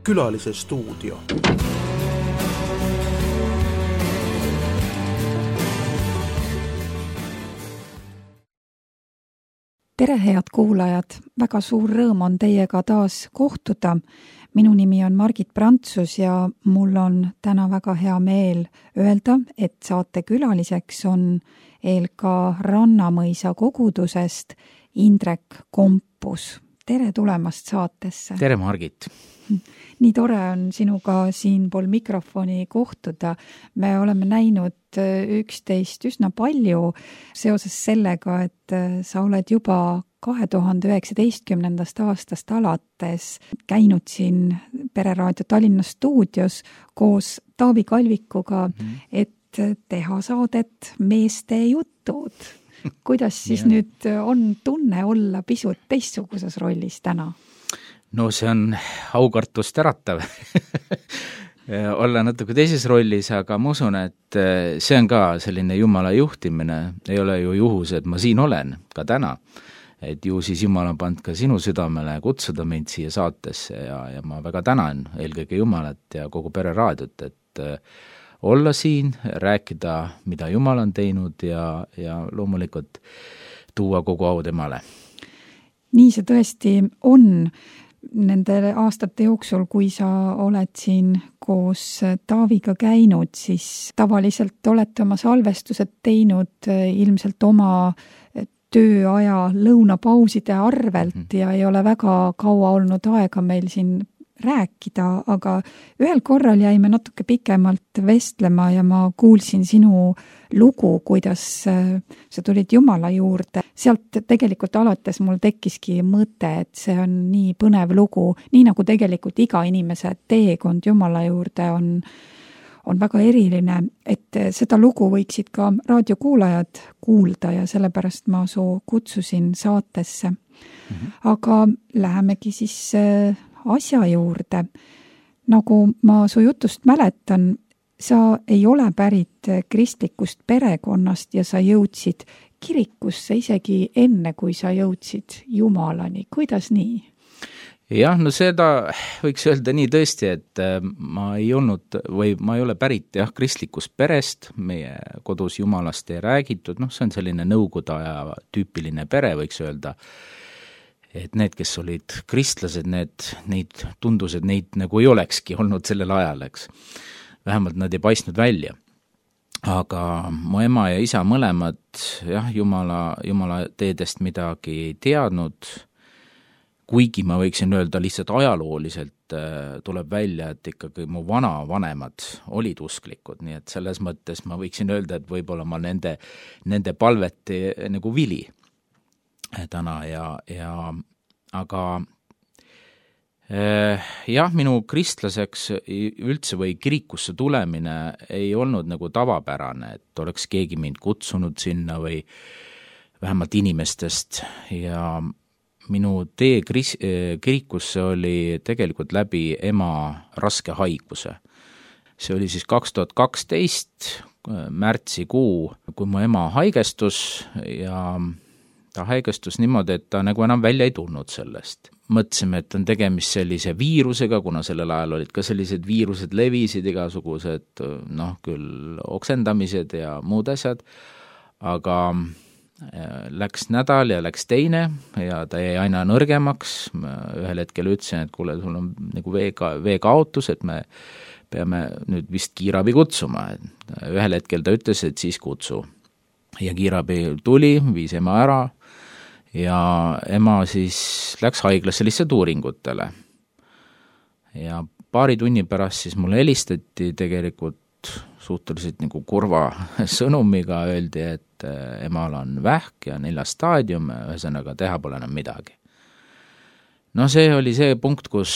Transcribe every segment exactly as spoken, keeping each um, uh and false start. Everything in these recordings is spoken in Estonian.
Külalise stuudio. Tere, head kuulajad! Väga suur rõõm on teiega taas kohtuda. Minu nimi on Margit Prantsus ja mul on täna väga hea meel öelda, et saate külaliseks on eel ka Rannamõisa kogudusest Indrek Kompus. Tere tulemast saatesse! Tere, Margit! Nii tore on sinuga siinpool mikrofoni kohtuda. Me oleme näinud üksteist üsna palju seoses sellega, et sa oled juba kahe tuhande üheksateistkümnendast aastast alates käinud siin Pereraadio Tallinna stuudios koos Taavi Kalvikuga, mm-hmm. et teha saadet Meeste jutud. Kuidas siis yeah. nüüd on tunne olla pisut teistsuguses rollis täna? No see on aukartust äratav olla natuke teises rollis, aga ma usun, et see on ka selline Jumala juhtimine. Ei ole ju juhus, et ma siin olen ka täna. Et ju siis Jumal on pannud ka sinu südamele kutsuda mind siia saatesse ja, ja ma väga tänan eelkõige Jumalat ja kogu Pereraadiot, et olla siin, rääkida, mida Jumal on teinud ja, ja loomulikult tuua kogu au temale. Nii see tõesti on. Nende aastate jooksul, kui sa oled siin koos Taaviga käinud, siis tavaliselt olete oma salvestused teinud ilmselt oma tööaja lõunapauside arvelt ja ei ole väga kaua olnud aega meil siin rääkida, aga ühel korral jäime natuke pikemalt vestlema ja ma kuulsin sinu lugu, kuidas sa tulid Jumala juurde. Sealt tegelikult alates mul tekkiski mõte, et see on nii põnev lugu, nii nagu tegelikult iga inimese teekond Jumala juurde on, on väga eriline, et seda lugu võiksid ka raadiokuulajad kuulda ja sellepärast ma su kutsusin saatesse. Mm-hmm. Aga lähemegi siis asja juurde. Nagu ma su jutust mäletan, sa ei ole pärit kristlikust perekonnast ja sa jõudsid kirikusse isegi enne, kui sa jõudsid Jumalani. Kuidas nii? Jah, no seda võiks öelda nii tõesti, et ma ei olnud või ma ei ole pärit jah, kristlikust perest, meie kodus Jumalast ei räägitud, noh see on selline nõukogude aja tüüpiline pere, võiks öelda. Et need, kes olid kristlased, need, neid tundus, et neid nagu ei olekski olnud sellel ajal, eks. Vähemalt nad ei paistnud välja. Aga mu ema ja isa mõlemad, jah, Jumala, Jumala teedest midagi ei teadnud, kuigi ma võiksin öelda lihtsalt ajalooliselt tuleb välja, et ikkagi mu vanavanemad olid usklikud, nii et selles mõttes ma võiksin öelda, et võib-olla ma nende, nende palveti nagu vili täna ja, ja aga eh, jah, minu kristlaseks üldse või kirikusse tulemine ei olnud nagu tavapärane, et oleks keegi mind kutsunud sinna või vähemalt inimestest ja minu tee kris, kirikusse oli tegelikult läbi ema raske haiguse. See oli siis kaks tuhat kaksteist märtsikuu, kui mu ema haigestus ja ta haigestus niimoodi, et ta nagu enam välja ei tulnud sellest. Mõtlesime, et on tegemist sellise viirusega, kuna sellel ajal olid ka sellised viirused levisid, igasugused, noh, küll oksendamised ja muud asjad, aga läks nädal ja läks teine ja ta jäi aina nõrgemaks. Ühel hetkel ütlesin, et kuule, sul on nagu veega, veekaotus, et me peame nüüd vist kiirabi kutsuma. Ühel hetkel ta ütles, et siis kutsu. Ja kiirabi tuli, viis ema ära ja ema siis läks haiglasse lihtsalt uuringutele. Ja paari tunni pärast siis mulle helistati tegelikult suhteliselt nagu kurva sõnumiga, öeldi, et emal on vähk ja neljas staadium, ühesõnaga teha pole enam midagi. No see oli see punkt, kus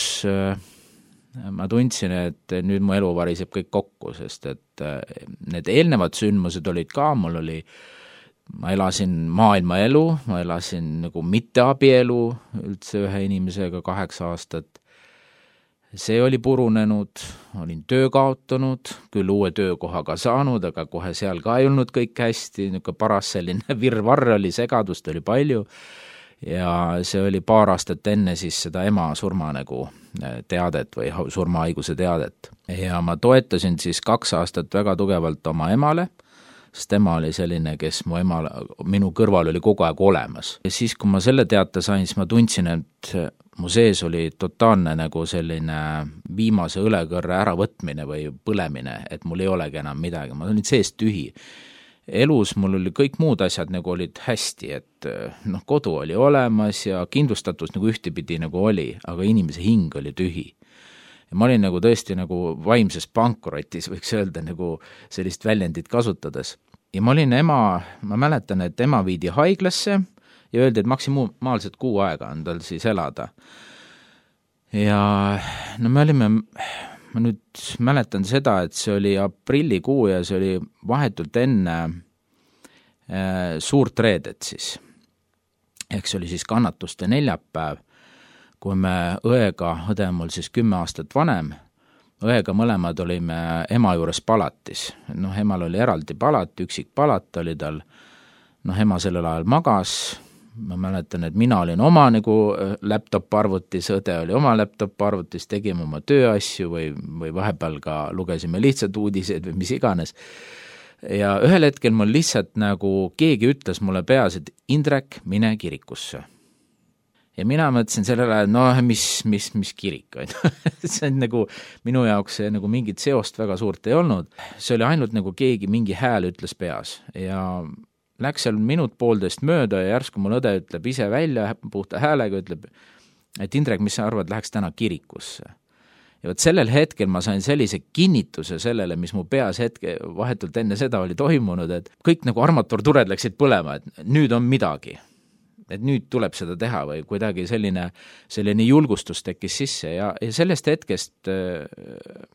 ma tundsin, et nüüd mu elu variseb kõik kokku, sest et need eelnevad sündmused olid ka, mul oli, ma elasin maailma elu, ma elasin nagu mitteabielu üldse ühe inimesega kaheksa aastat. See oli purunenud, olin töö kaotanud, küll uue töökohaga saanud, aga kohe seal ka ei olnud kõik hästi, niisugune paras selline virvarr oli, segadust oli palju. ja see oli paar aastat enne siis seda ema surma nagu teadet või surmahaiguse teadet. Ja ma toetasin siis kaks aastat väga tugevalt oma emale, sest ema oli selline, kes mu ema, minu kõrval oli kogu aeg olemas. Ja siis, kui ma selle teate sain, siis ma tundsin, et mu sees oli totaalne nagu selline viimase õlekõrre äravõtmine või põlemine, et mul ei olegi enam midagi, ma olin sees tühi. Elus mul oli kõik muud asjad nagu olid hästi, et noh, kodu oli olemas ja kindlustatus nagu ühtepidi nagu oli, aga inimese hing oli tühi. Ja ma olin nagu tõesti nagu vaimses pankrotis, võiks öelda nagu sellist väljendit kasutades. Ja ma olin ema, ma mäletan, et ema viidi haiglasse ja öeldi, et maksimaalselt kuu aega on tal siis elada. Ja no me olime, ma nüüd mäletan seda, et see oli aprillikuu ja see oli vahetult enne äh, suurt reedet siis. Ehk see oli siis kannatuste neljapäev, kui me õega, õde on mul siis kümme aastat vanem, õega mõlemad olime ema juures palatis. Noh, emal oli eraldi palat, üksik palat oli tal, noh, ema sellel ajal magas, ma mäletan, et mina olin oma nagu laptop-arvutis, õde oli oma laptop-arvutis, tegime oma tööasju või, või vahepeal ka lugesime lihtsalt uudiseid või mis iganes. Ja ühel hetkel mul lihtsalt nagu keegi ütles mulle peas, et Indrek, mine kirikusse. Ja mina mõtlesin sellel ajal, no mis, mis, mis kirik on. See on nagu, minu jaoks see nagu mingit seost väga suurt ei olnud. See oli ainult nagu keegi mingi hääl ütles peas ja läks seal minut poolteist mööda ja järsku mul õde ütleb ise välja puhta häälega, ütleb, et Indrek, mis sa arvad, läheks täna kirikusse. Ja võt sellel hetkel ma sain sellise kinnituse sellele, mis mu peas hetke vahetult enne seda oli toimunud, et kõik nagu armaturtured läksid põlema, et nüüd on midagi. Et nüüd tuleb seda teha või kuidagi selline, selline julgustus tekkis sisse ja, ja sellest hetkest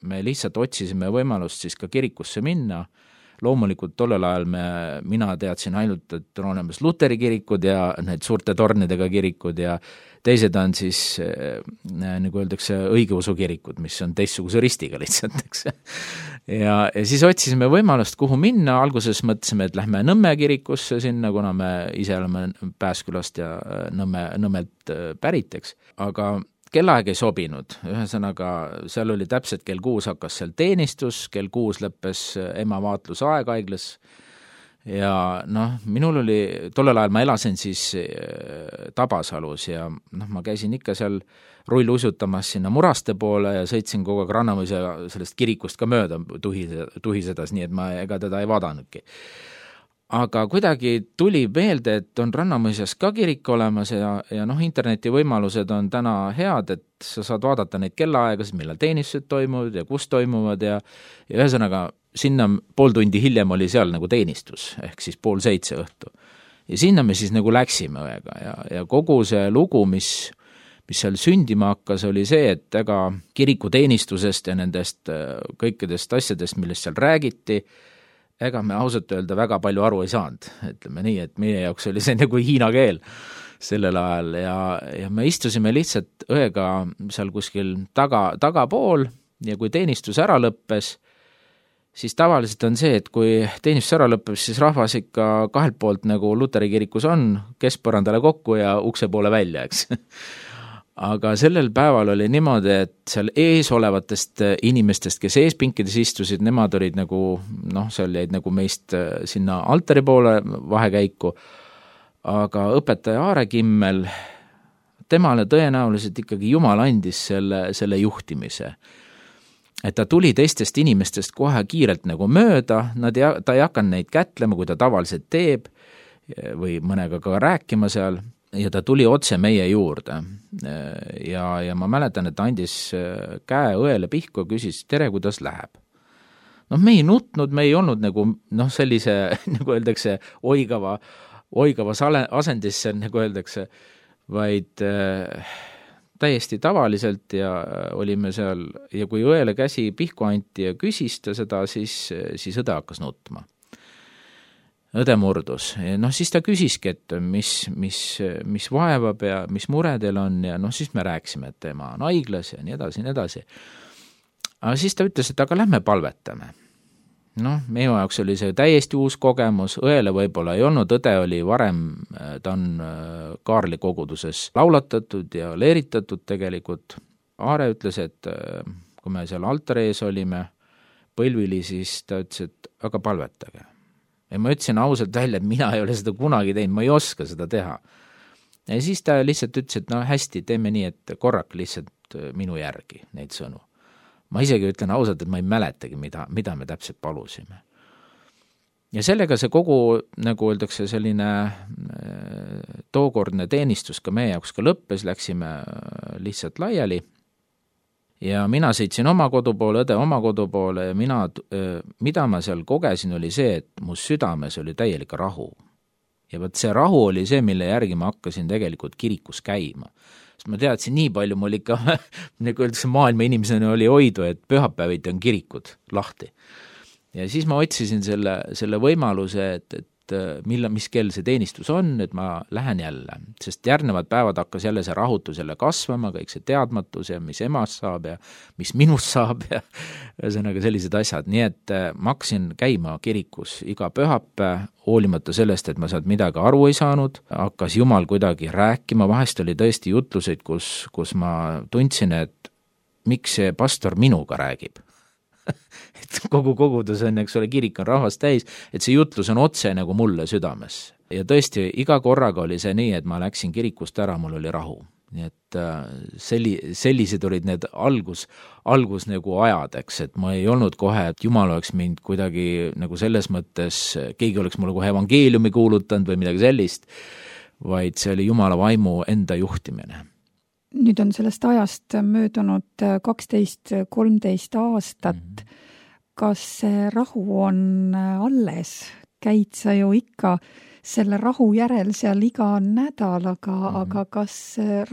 me lihtsalt otsisime võimalust siis ka kirikusse minna. Loomulikult tollel ajal me, mina teadsin ainult, et on olemas Luteri kirikud ja need suurte tornidega kirikud ja teised on siis, nagu öeldakse, õigeusu kirikud, mis on teistsuguse ristiga lihtsalt, eks. Ja, ja siis otsisime võimalust, kuhu minna. Alguses mõtlesime, et lähme Nõmme kirikusse sinna, kuna me ise oleme Pääskülast ja Nõmme, Nõmmelt pärit, eks. Aga kellaaeg ei sobinud, ühesõnaga seal oli täpselt kell kuus hakkas seal teenistus, kell kuus lõppes ema vaatlusaeg haiglas ja noh, minul oli, tollel ajal ma elasin siis Tabasalus ja noh, ma käisin ikka seal rull usutamas sinna Muraste poole ja sõitsin kogu aeg Rannamõisa sellest kirikust ka mööda tuhisedas, nii et ma ega teda ei vaadanudki. Aga kuidagi tuli meelde, et on Rannamõisas ka kirik olemas ja, ja noh, interneti võimalused on täna head, et sa saad vaadata neid kellaaegasid, millal teenistused toimuvad ja kus toimuvad ja, ja ühesõnaga sinna pool tundi hiljem oli seal nagu teenistus, ehk siis pool seitse õhtu. Ja sinna me siis nagu läksime õega ja, ja kogu see lugu, mis, mis seal sündima hakkas, oli see, et ega kirikuteenistusest ja nendest kõikidest asjadest, millest seal räägiti, ega me ausalt öelda väga palju aru ei saanud, ütleme nii, et meie jaoks oli see nagu hiina keel sellel ajal ja, ja me istusime lihtsalt õega seal kuskil taga, tagapool ja kui teenistus ära lõppes, siis tavaliselt on see, et kui teenistus ära lõppes, siis rahvas ikka kahelt poolt nagu Luteri kirikus on, keskpõrandale kokku ja ukse poole välja, eks. Aga sellel päeval oli niimoodi, et seal ees olevatest inimestest, kes eespinkides istusid, nemad olid nagu, noh, seal jäid nagu meist sinna altari poole vahekäiku, aga õpetaja Aare Kimmel, temale tõenäoliselt ikkagi Jumal andis selle, selle juhtimise. Et ta tuli teistest inimestest kohe kiirelt nagu mööda, nad ei, ta ei hakanud neid kätlema, kui ta tavaliselt teeb, või mõnega ka rääkima seal, ja ta tuli otse meie juurde ja, ja ma mäletan, et ta andis käe õele pihku ja küsis, tere, kuidas läheb. Noh, me ei nutnud, me ei olnud nagu, noh, sellise, nagu öeldakse, oigava, oigavas asendisse, nagu öeldakse, vaid äh, täiesti tavaliselt ja olime seal ja kui õele käsi pihku anti ja küsis ta seda, siis, siis õde hakkas nutma. Õde murdus. Noh, siis ta küsiski, et mis, mis, mis vaevab ja mis mure teil on ja noh, siis me rääkisime, et tema on haiglas ja nii edasi, nii edasi. Aga siis ta ütles, et aga lähme palvetame. noh, meie jaoks oli see täiesti uus kogemus, õele võib-olla ei olnud, õde oli varem, ta on Kaarli koguduses laulatatud ja leeritatud tegelikult. Aare ütles, et kui me seal altari ees olime põlvili, siis ta ütles, et aga palvetage. Ja ma ütlesin ausalt välja, et mina ei ole seda kunagi teinud, ma ei oska seda teha. Ja siis ta lihtsalt ütles, et no hästi, teeme nii, et korrak lihtsalt minu järgi neid sõnu. Ma isegi ütlen ausalt, et ma ei mäletagi, mida, mida me täpselt palusime. Ja sellega see kogu, nagu öeldakse, selline tookordne teenistus ka meie jaoks ka lõppes, läksime lihtsalt laiali. Ja mina sõitsin oma kodu poole, õde oma kodu poole ja mina, mida ma seal kogesin, oli see, et mu südames oli täielik rahu. Ja võt see rahu oli see, mille järgi ma hakkasin tegelikult kirikus käima. Sest ma teadsin, nii palju mul ikka, nagu öeldakse, maailma inimesena oli hoidu, et pühapäeviti on kirikud lahti. Ja siis ma otsisin selle, selle võimaluse, et, et mille, mis kell see teenistus on, et ma lähen jälle. Sest järgnevad päevad hakkas jälle see rahutus jälle kasvama, kõik see teadmatus ja mis emast saab ja mis minust saab ja ühesõnaga sellised asjad. Nii et ma hakkasin käima kirikus iga pühapäev, hoolimata sellest, et ma sealt midagi aru ei saanud, hakkas Jumal kuidagi rääkima, vahest oli tõesti jutluseid, kus, kus ma tundsin, et miks see pastor minuga räägib. Et kogu kogudus on, eks ole, kirik on rahvast täis, et see jutlus on otse nagu mulle südames. Ja tõesti, iga korraga oli see nii, et ma läksin kirikust ära, mul oli rahu. Nii et selli, sellised olid need algus, algus nagu ajad, eks, et ma ei olnud kohe, et Jumal oleks mind kuidagi nagu selles mõttes, keegi oleks mulle kohe evangeeliumi kuulutanud või midagi sellist, vaid see oli Jumala vaimu enda juhtimine. Nüüd on sellest ajast möödunud kaksteist kolmteist aastat. Mm-hmm. Kas see rahu on alles? Käid sa ju ikka selle rahu järel seal iga nädal, aga, mm-hmm. aga kas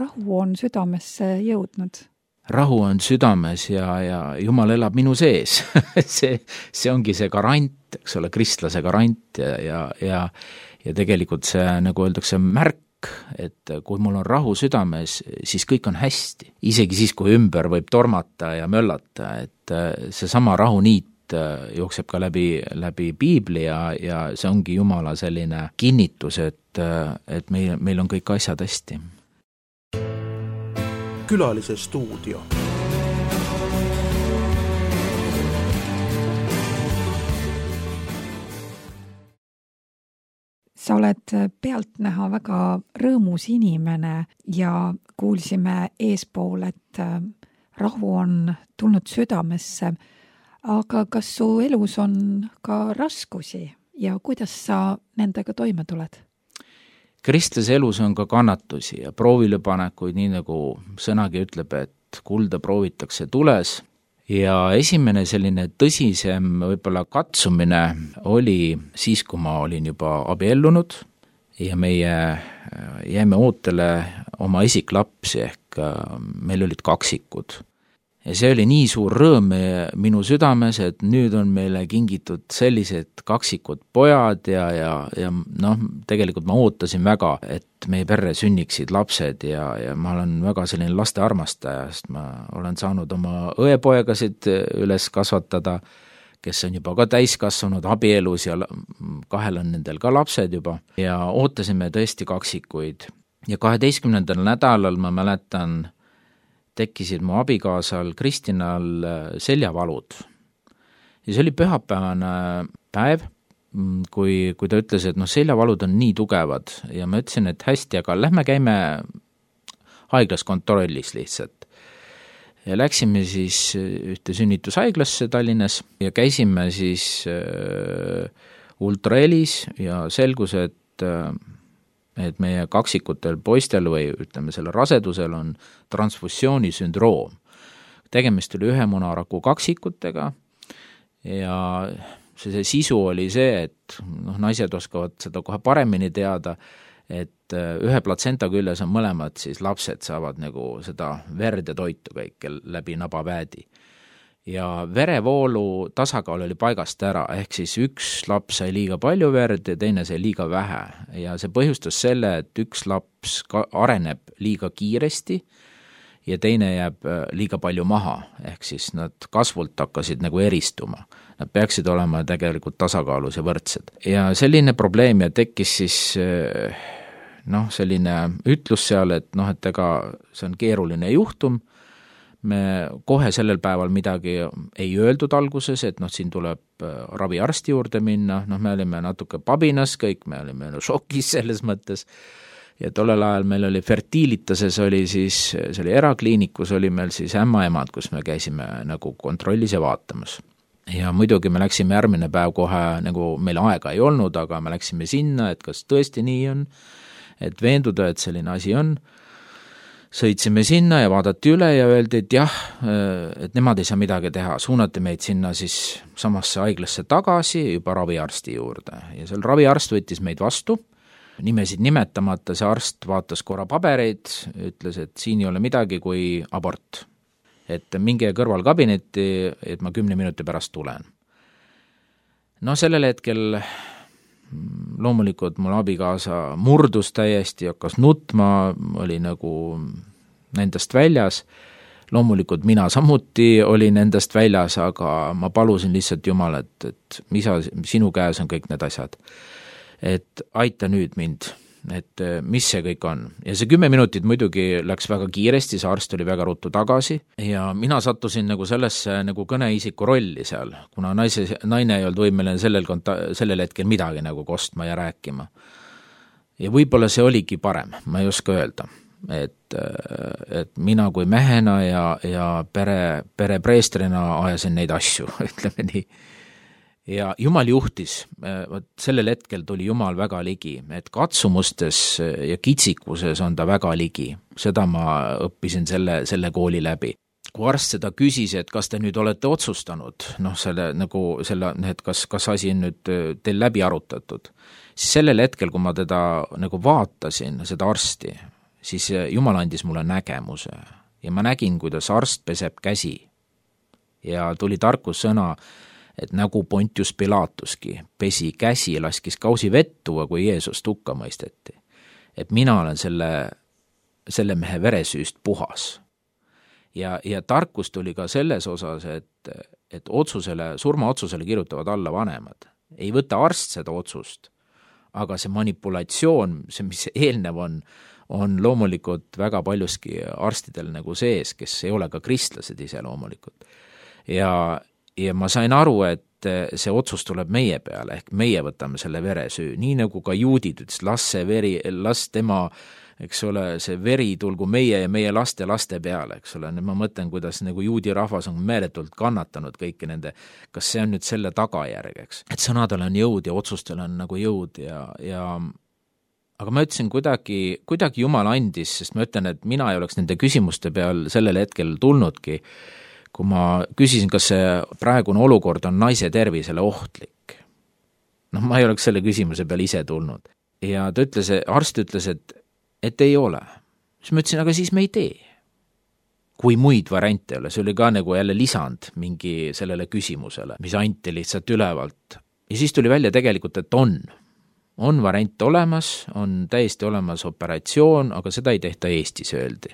rahu on südamesse jõudnud? Rahu on südames ja, ja Jumal elab minu sees. see, see ongi see garant, eks ole, kristlase garant ja, ja, ja, ja tegelikult see, nagu öeldakse, märk, et kui mul on rahu südames, siis kõik on hästi. Isegi siis, kui ümber võib tormata ja möllata, et see sama rahuniit jookseb ka läbi, läbi Piibli ja, ja see ongi Jumala selline kinnitus, et, et meil, meil on kõik asjad hästi. Külalise stuudio. Sa oled pealtnäha väga rõõmus inimene ja kuulsime eespool, et rahu on tulnud südamesse. Aga kas su elus on ka raskusi ja kuidas sa nendega toime tuled? Kristlase elus on ka kannatusi ja proovilepanekuid, nii nagu sõnagi ütleb, et kulda proovitakse tules. Ja esimene selline tõsisem võib-olla katsumine oli siis, kui ma olin juba abiellunud ja meie jäime ootele oma esiklapsi ehk meil olid kaksikud. Ja see oli nii suur rõõm minu südames, et nüüd on meile kingitud sellised kaksikud pojad ja, ja, ja noh, tegelikult ma ootasin väga, et meie perre sünniksid lapsed ja, ja ma olen väga selline laste armastaja, sest ma olen saanud oma õepoegasid üles kasvatada, kes on juba ka täiskasvanud abielus ja kahel on nendel ka lapsed juba ja ootasime tõesti kaksikuid. Ja kaheteistkümnendal nädalal ma mäletan, tekkisid mu abikaasal Kristinal seljavalud. Ja see oli pühapäevane päev, kui, kui ta ütles, et noh, seljavalud on nii tugevad ja ma ütlesin, et hästi, aga lähme käime haiglas kontrollis lihtsalt. Ja läksime siis ühte sünnitushaiglasse Tallinnas ja käisime siis äh, ultrahelis ja selgus, et äh, et meie kaksikutel poistel või ütleme selle rasedusel on transfusioonisündroom. Tegemist oli ühe munaraku kaksikutega ja see, see sisu oli see, et noh, naised oskavad seda kohe paremini teada, et ühe platsenta küljes on mõlemad, siis lapsed saavad nagu seda verd ja toitu kõik läbi nabapäädi. Ja verevoolu tasakaal oli paigast ära, ehk siis üks laps sai liiga palju verd ja teine sai liiga vähe. Ja see põhjustas selle, et üks laps areneb liiga kiiresti ja teine jääb liiga palju maha, ehk siis nad kasvult hakkasid nagu eristuma. Nad peaksid olema tegelikult tasakaalus ja võrdsed. Ja selline probleem ja tekkis siis noh, selline ütlus seal, et noh, et ega see on keeruline juhtum, me kohe sellel päeval midagi ei öeldud alguses, et noh, siin tuleb raviarsti juurde minna, noh, me olime natuke pabinas kõik, me olime šokis selles mõttes, ja tollel ajal meil oli Fertilitases oli siis, see oli erakliinikus, oli meil siis ämmaemad, kus me käisime nagu kontrollis ja vaatamas. Ja muidugi me läksime järgmine päev kohe, nagu meil aega ei olnud, aga me läksime sinna, et kas tõesti nii on, et veenduda, et selline asi on. Sõitsime sinna ja vaadati üle ja öeldi, et jah, et nemad ei saa midagi teha. Suunati meid sinna siis samasse haiglasse tagasi juba raviarsti juurde. Ja seal raviarst võttis meid vastu, nimesid nimetamata, see arst vaatas korra pabereid, ütles, et siin ei ole midagi kui abort. Et minge kõrvalkabinetti, et ma kümne minuti pärast tulen. No sellel hetkel loomulikult mul abikaasa murdus täiesti, hakkas nutma, oli nagu nendest väljas. Loomulikult mina samuti olin nendest väljas, aga ma palusin lihtsalt Jumal, et, et isa, sinu käes on kõik need asjad. Et aita nüüd mind, et mis see kõik on. Ja see kümme minutit muidugi läks väga kiiresti, see arst oli väga ruttu tagasi ja mina sattusin nagu sellesse nagu kõneisiku rolli seal, kuna naise, naine ei olnud võimeline sellel, konta-, sellel hetkel midagi nagu kostma ja rääkima. Ja võib-olla see oligi parem, ma ei oska öelda, et, et mina kui mehena ja, ja pere, pere preestrina ajasin neid asju, ütleme nii. Ja Jumal juhtis, sellel hetkel tuli Jumal väga ligi, et katsumustes ja kitsikuses on ta väga ligi. Seda ma õppisin selle, selle kooli läbi. Kui arst seda küsis, et kas te nüüd olete otsustanud, noh, selle, nagu, selle, et kas, kas asi on nüüd teil läbi arutatud, siis sellel hetkel, kui ma teda nagu vaatasin, seda arsti, siis Jumal andis mulle nägemuse ja ma nägin, kuidas arst peseb käsi ja tuli tarkussõna, et nagu Pontius Pilatuski pesi käsi, laskis kausi vettua, kui Jeesus hukka mõisteti. Et mina olen selle, selle mehe veresüüst puhas. Ja, ja tarkus tuli ka selles osas, et, et otsusele, surmaotsusele kirjutavad alla vanemad. Ei võta arst seda otsust, aga see manipulatsioon, see, mis eelnev on, on loomulikult väga paljuski arstidel nagu sees, kes ei ole ka kristlased ise loomulikult. Ja Ja ma sain aru, et see otsus tuleb meie peale, ehk meie võtame selle veresüü, nii nagu ka juudid ütles, las see veri, las tema, eks ole, see veri tulgu meie ja meie laste laste peale, eks ole, ma mõtlen, kuidas nagu juudi rahvas on meeletult kannatanud kõiki nende, kas see on nüüd selle tagajärg, eks, et sõnadel on jõud ja otsustel on nagu jõud ja, ja aga ma ütlesin kuidagi, kuidagi Jumal andis, sest ma ütlen, et mina ei oleks nende küsimuste peal sellel hetkel tulnudki, kui ma küsisin, kas see praegune olukord on naise tervisele ohtlik. Noh, ma ei oleks selle küsimuse peal ise tulnud. Ja ta ütles, arst ütles, et, et ei ole. Siis ma ütlesin, aga siis me ei tee. Kui muid variante ei ole, see oli ka nagu jälle lisand mingi sellele küsimusele, mis anti lihtsalt ülevalt. Ja siis tuli välja tegelikult, et on. On variant olemas, on täiesti olemas operatsioon, aga seda ei tehta Eestis, öeldi.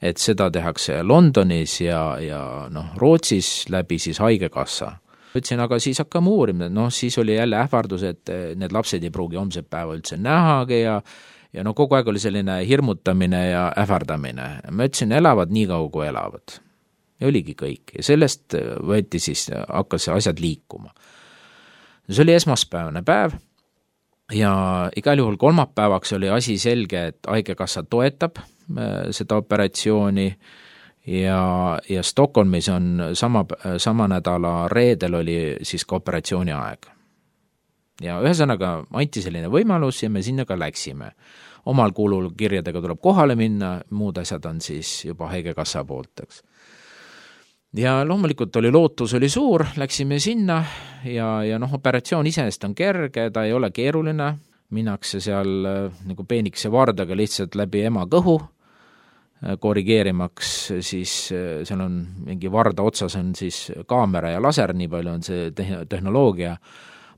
Et seda tehakse Londonis ja, ja noh, Rootsis läbi siis haigekassa. Ütlesin, aga siis hakkame uurima, noh, siis oli jälle ähvardus, et need lapsed ei pruugi homset päeva üldse nähagi ja, ja no kogu aeg oli selline hirmutamine ja ähvardamine. Ma ütlesin, elavad nii kaua, kui elavad. Ja oligi kõik. Ja sellest võeti siis, hakkas asjad liikuma. See oli esmaspäevane päev ja igal juhul kolmapäevaks oli asi selge, et haigekassa toetab seda operatsiooni ja, ja Stockholmis on sama, sama nädala reedel oli siis ka operatsiooni aeg. Ja ühesõnaga anti selline võimalus ja me sinna ka läksime. Omal kulul kirjadega tuleb kohale minna, muud asjad on siis juba haigekassa poolt, eks. Ja loomulikult oli lootus oli suur, läksime sinna ja, ja noh, operatsioon iseenesest on kerge, ta ei ole keeruline, minnakse seal nagu peenikese vardaga lihtsalt läbi ema kõhu, korrigeerimaks, siis seal on mingi varda otsas on siis kaamera ja laser, nii palju on see tehnoloogia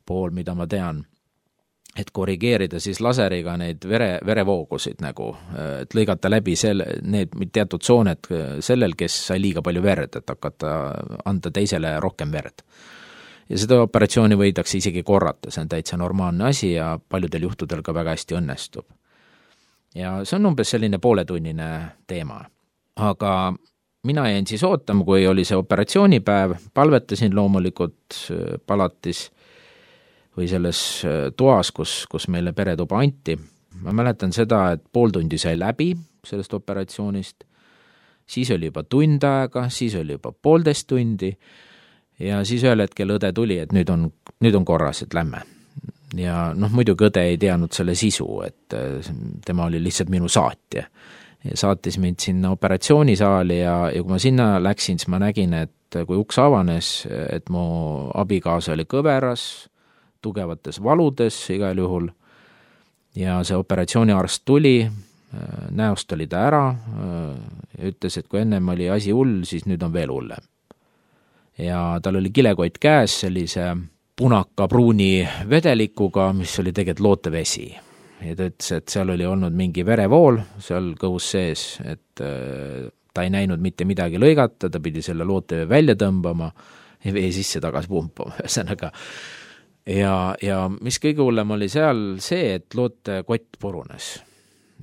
pool, mida ma tean. et korrigeerida siis laseriga neid vere, verevoogusid nagu, et lõigata läbi selle, need teatud tsooned sellel, kes sai liiga palju verd, et hakata anda teisele rohkem verd. Ja seda operatsiooni võidakse isegi korrata, see on täitsa normaalne asi ja paljudel juhtudel ka väga hästi õnnestub. Ja see on umbes selline pooletunnine teema. Aga mina jäin siis ootama, kui oli see operatsioonipäev, palvetasin loomulikult palatis või selles toas, kus, kus meile peretuba anti. Ma mäletan seda, et pool tundi sai läbi sellest operatsioonist, siis oli juba tund aega, siis oli juba poolteist tundi, ja siis ühel hetkel õde tuli, et nüüd on, nüüd on korras, et lämme. Ja noh, muidugi õde ei teadnud selle sisu, et tema oli lihtsalt minu saatja. Ja saatis mind sinna operatsioonisaali ja, ja kui ma sinna läksin, siis ma nägin, et kui uks avanes, et mu abikaasa oli kõveras, tugevates valudes igal juhul, ja see operatsiooniarst tuli, näost oli ta ära, ütles, et kui ennem oli asi hull, siis nüüd on veel hullem. Ja tal oli kilekott käes sellise punaka-pruuni vedelikuga, mis oli tegelikult lootevesi. Ja ta ütles, et seal oli olnud mingi verevool seal kõhus sees, et ta ei näinud mitte midagi lõigata, ta pidi selle lootevee välja tõmbama ja vee sisse tagasi pumpama. Ühesõnaga. Ja, ja mis kõige hullem oli seal see, et lootekott purunes.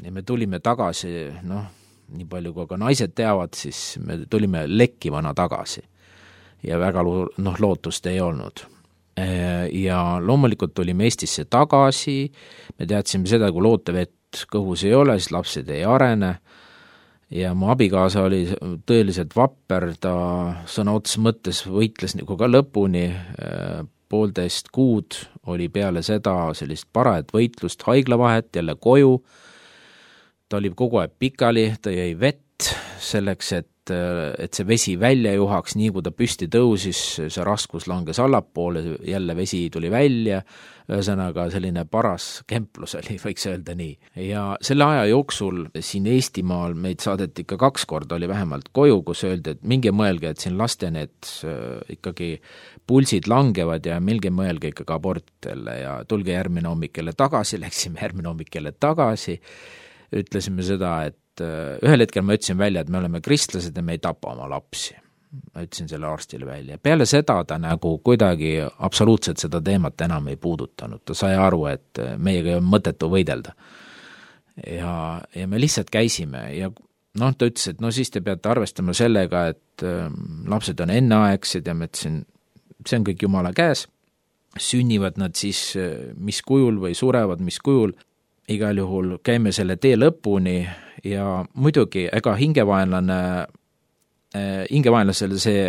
Ja me tulime tagasi, noh, nii palju kui ka naised teavad, siis me tulime lekkivana tagasi. Ja väga noh, lootust ei olnud. Ja loomulikult tulime Eestisse tagasi, me teadsime seda, kui lootevett kõhus ei ole, siis lapsed ei arene, ja mu abikaasa oli tõeliselt vapper, ta sõna otses mõttes võitles nagu ka lõpuni, poolteist kuud oli peale seda sellist parajat võitlust, haiglavahet, jälle koju, ta oli kogu aeg pikali, ta jäi vett selleks, et et see vesi välja juhaks, nii kui ta püsti tõusis, see raskus langes allapoole, jälle vesi tuli välja, ühesõnaga selline paras kemplus oli, võiks öelda nii. Ja selle aja jooksul siin Eestimaal meid saadeti ikka kaks korda, oli vähemalt koju, kus öeldi, et minge mõelge, et siin laste need ikkagi pulsid langevad ja minge mõelge ikkagi abortidele ja tulge järgmine hommik jälle tagasi, läksime järgmine hommik jälle tagasi, ütlesime seda, et ühel hetkel ma ütlesin välja, et me oleme kristlased ja me ei tapa oma lapsi. Ma ütlesin selle arstile välja. Peale seda ta nagu kuidagi absoluutselt seda teemat enam ei puudutanud. Ta sai aru, et meiega on mõttetu võidelda. Ja, ja me lihtsalt käisime ja noh, ta ütles, et no siis te peate arvestama sellega, et lapsed on enneaegsed ja ma ütlesin, see on kõik Jumala käes. Sünnivad nad siis mis kujul või surevad mis kujul. Igal juhul käime selle tee lõpuni ja muidugi ega hingevaenlane, hingevaenlasele see,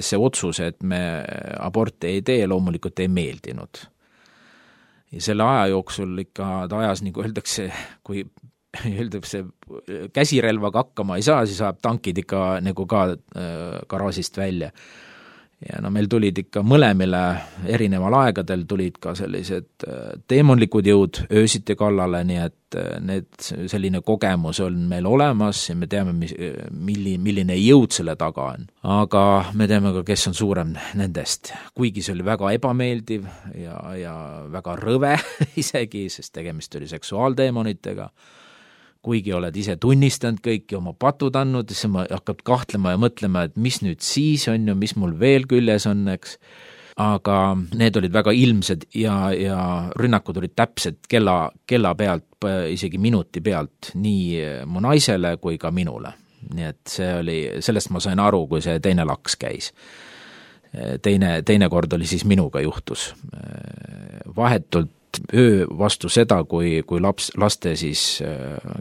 see otsus, et me aborti ei tee, loomulikult ei meeldinud. Ja selle aja jooksul ikka ta ajas, nagu öeldakse, kui öeldakse, käsirelvaga hakkama ei saa, siis saab tankid ikka nagu ka garaažist välja. Ja no meil tulid ikka mõlemile erineval aegadel tulid ka sellised teemonlikud jõud öösiti kallale, nii et need, selline kogemus on meil olemas ja me teame, milli, milline jõud selle taga on. Aga me teame ka, kes on suurem nendest. Kuigi see oli väga ebameeldiv ja, ja väga rõve isegi, sest tegemist oli seksuaaldeemonitega. Kuigi oled ise tunnistanud kõiki oma patud andnud, siis ma hakkab kahtlema ja mõtlema, et mis nüüd siis on ju, mis mul veel küljes on, eks. Aga need olid väga ilmsed ja, ja rünnakud olid täpselt kella, kella pealt, isegi minuti pealt, nii mu naisele kui ka minule. Nii et see oli, sellest ma sain aru, kui see teine laks käis. Teine, teine kord oli siis minuga juhtus. Vahetult öö vastu seda, kui, kui laps, laste siis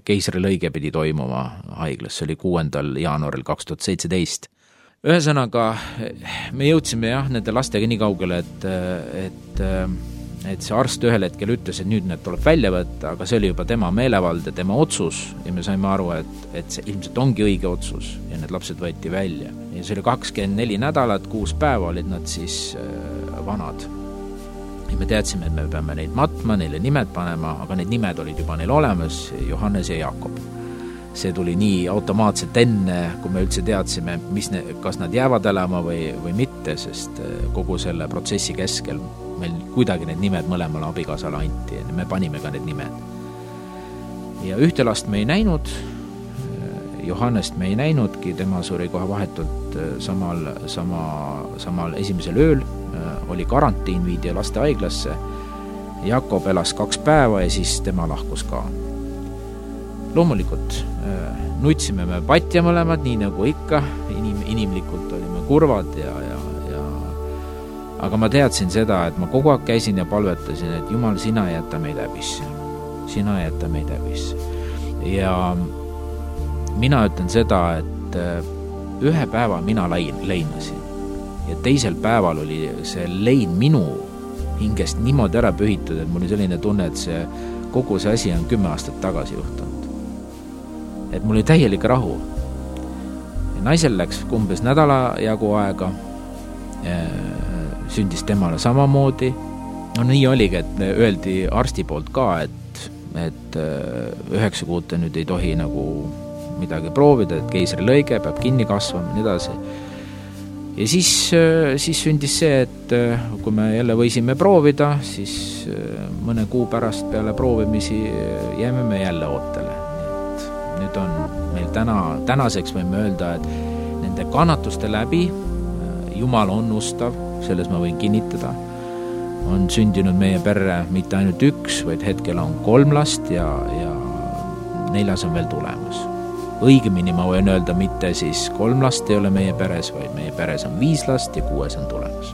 keisrilõige pidi toimuma haiglas, see oli kuuendal jaanuaril kaks tuhat seitseteist. Ühesõnaga, me jõudsime jah, nende lastega nii kaugele, et, et, et see arst ühel hetkel ütles, et nüüd need tuleb välja võtta, aga see oli juba tema meelevald ja tema otsus ja me saime aru, et, et see ilmselt ongi õige otsus ja need lapsed võeti välja. Ja see oli kakskümmend neli nädalat, kuus päeva olid nad siis vanad. Ja me teadsime, et me peame neid matma, neile nimed panema, aga need nimed olid juba neil olemas, Johannes ja Jakob. See tuli nii automaatselt enne, kui me üldse teadsime, mis ne, kas nad jäävad elama või, või mitte, sest kogu selle protsessi keskel meil kuidagi need nimed mõlemale abikaasale anti ja me panime ka need nimed. Ja ühte last me ei näinud, Johannest me ei näinudki, tema suri kohe vahetult samal, sama, samal esimesel ööl, oli karantiin, viidi laste haiglasse, Jakob elas kaks päeva ja siis tema lahkus ka. Loomulikult nutsime me patja mõlemad, nii nagu ikka, inim, inimlikult olime kurvad ja, ja, ja aga ma teadsin seda, et ma kogu aeg käisin ja palvetasin, et Jumal, sina jäta meid häbisse. Sina jäta meid häbisse. Ja mina ütlen seda, et ühe päeva mina leinasin ja teisel päeval oli see lein minu hingest niimoodi ära pühitud, et mul oli selline tunne, et see, kogu see asi on kümme aastat tagasi juhtunud. Et mul oli täielik rahu. Ja naisel läks umbes nädala jagu aega, sündis temale samamoodi. No nii oligi, et öeldi arsti poolt ka, et, et üheksa kuute nüüd ei tohi nagu midagi proovida, et keisrilõige peab kinni kasvama, nii edasi. Ja siis, siis sündis see, et kui me jälle võisime proovida, siis mõne kuu pärast peale proovimisi jääme me jälle ootele. Et nüüd on meil täna, tänaseks võime öelda, et nende kannatuste läbi Jumal on ustav, selles ma võin kinnitada, on sündinud meie perre mitte ainult üks, vaid hetkel on kolm last ja, ja neljas on veel tulemas. Õigemini ma võin öelda, mitte siis kolm last ei ole meie peres, vaid meie peres on viis last ja kuues on tulemas.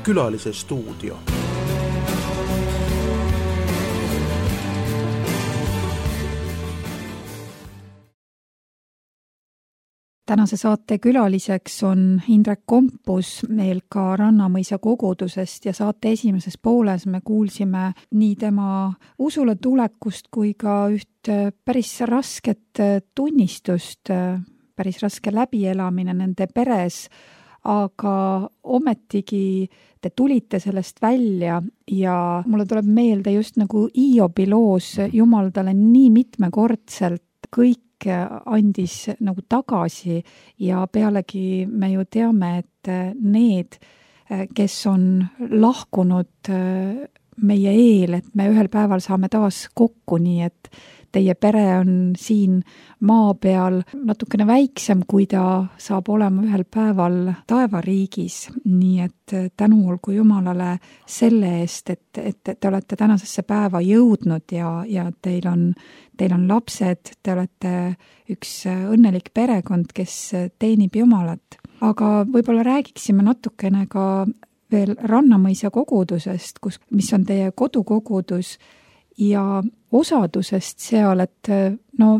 Külalise stuudio. Tänase saate külaliseks on Indrek Kompus meil ka Rannamõisa kogudusest ja saate esimeses pooles me kuulsime nii tema usule tulekust kui ka üht päris rasket tunnistust, päris raske läbielamine nende peres, aga ometigi te tulite sellest välja ja mulle tuleb meelde just nagu Hiobi loos Jumal talle nii mitmekordselt kõik andis nagu tagasi ja pealegi me ju teame, et need, kes on lahkunud meie eel, et me ühel päeval saame taas kokku, nii et teie pere on siin maa peal natukene väiksem, kui ta saab olema ühel päeval taevariigis. Nii et tänu olgu Jumalale selle eest, et, et te olete tänasesse päeva jõudnud ja, ja teil on, teil on lapsed, te olete üks õnnelik perekond, kes teenib Jumalat. Aga võib-olla räägiksime natukene ka veel Rannamõisa kogudusest, kus, mis on teie kodukogudus ja osadusest seal, et no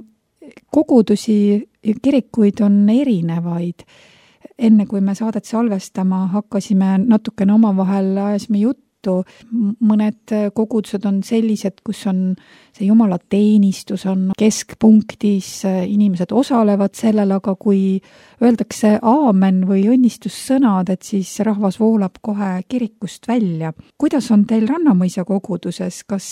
kogudusi ja kirikuid on erinevaid. Enne kui me saadet salvestama hakkasime, natukene omavahel ajasime juttu. Mõned kogudused on sellised, kus on see Jumala teenistus on keskpunktis, inimesed osalevad sellel, aga kui öeldakse aamen või õnnistussõnad, et siis rahvas voolab kohe kirikust välja. Kuidas on teil Rannamõisa koguduses? Kas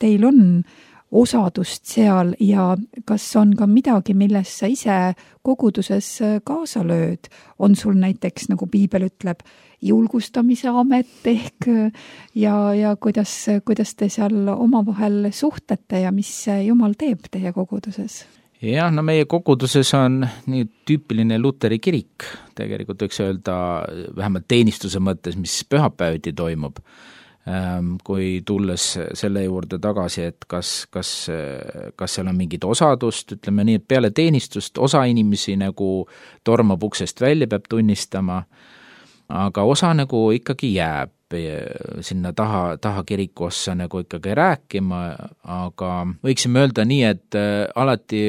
teil on osadust seal ja kas on ka midagi, milles sa ise koguduses kaasa lööd? On sul näiteks, nagu Piibel ütleb, julgustamise amet ehk ja, ja kuidas, kuidas te seal omavahel suhtlete ja mis Jumal teeb teie koguduses? Jah, no meie koguduses on nii tüüpiline Luteri kirik, tegelikult võiks öelda vähemalt teenistuse mõttes, mis pühapäeviti toimub. Kui tulles selle juurde tagasi, et kas, kas, kas seal on mingit osadust, ütleme nii, et peale teenistust osa inimesi nagu tormab uksest välja, peab tunnistama, aga osa nagu ikkagi jääb sinna taha, taha kiriku ossa nagu ikkagi rääkima, aga võiksime öelda nii, et alati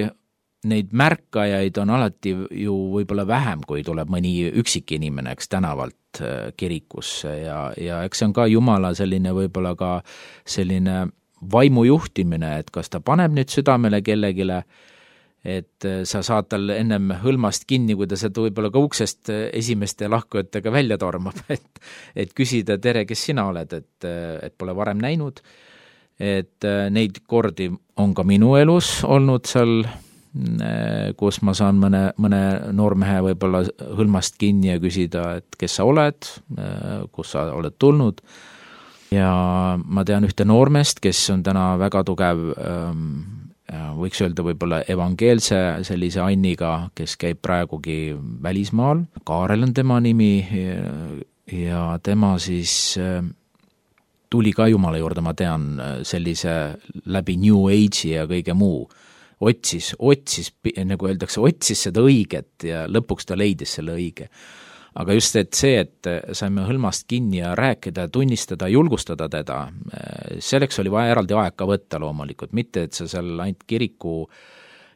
neid märkajaid on alati ju võib-olla vähem, kui tuleb mõni üksik inimene, eks tänavalt kirikusse ja, ja eks see on ka Jumala selline võib-olla ka selline vaimujuhtimine, et kas ta paneb nüüd südamele kellegile, et sa saad tal ennem hõlmast kinni, kui ta sealt võib-olla ka uksest esimeste lahkujatega välja tormab, et, et küsida, tere, kes sina oled, et, et pole varem näinud, et neid kordi on ka minu elus olnud seal, kus ma saan mõne, mõne noormehe võib-olla hõlmast kinni ja küsida, et kes sa oled, kus sa oled tulnud. Ja ma tean ühte noormest, kes on täna väga tugev, võiks öelda võib-olla evangeelse sellise anniga, kes käib praegugi välismaal. Kaarel on tema nimi ja tema siis tuli ka Jumala juurde, ma tean, sellise läbi New Age'i ja kõige muu. Otsis, otsis, nagu öeldakse, otsis seda õiget ja lõpuks ta leidis selle õige. Aga just et see, et saime hõlmast kinni ja rääkida, tunnistada, julgustada teda, selleks oli vaja eraldi aeg ka võtta loomulikult, mitte et sa seal ainult kiriku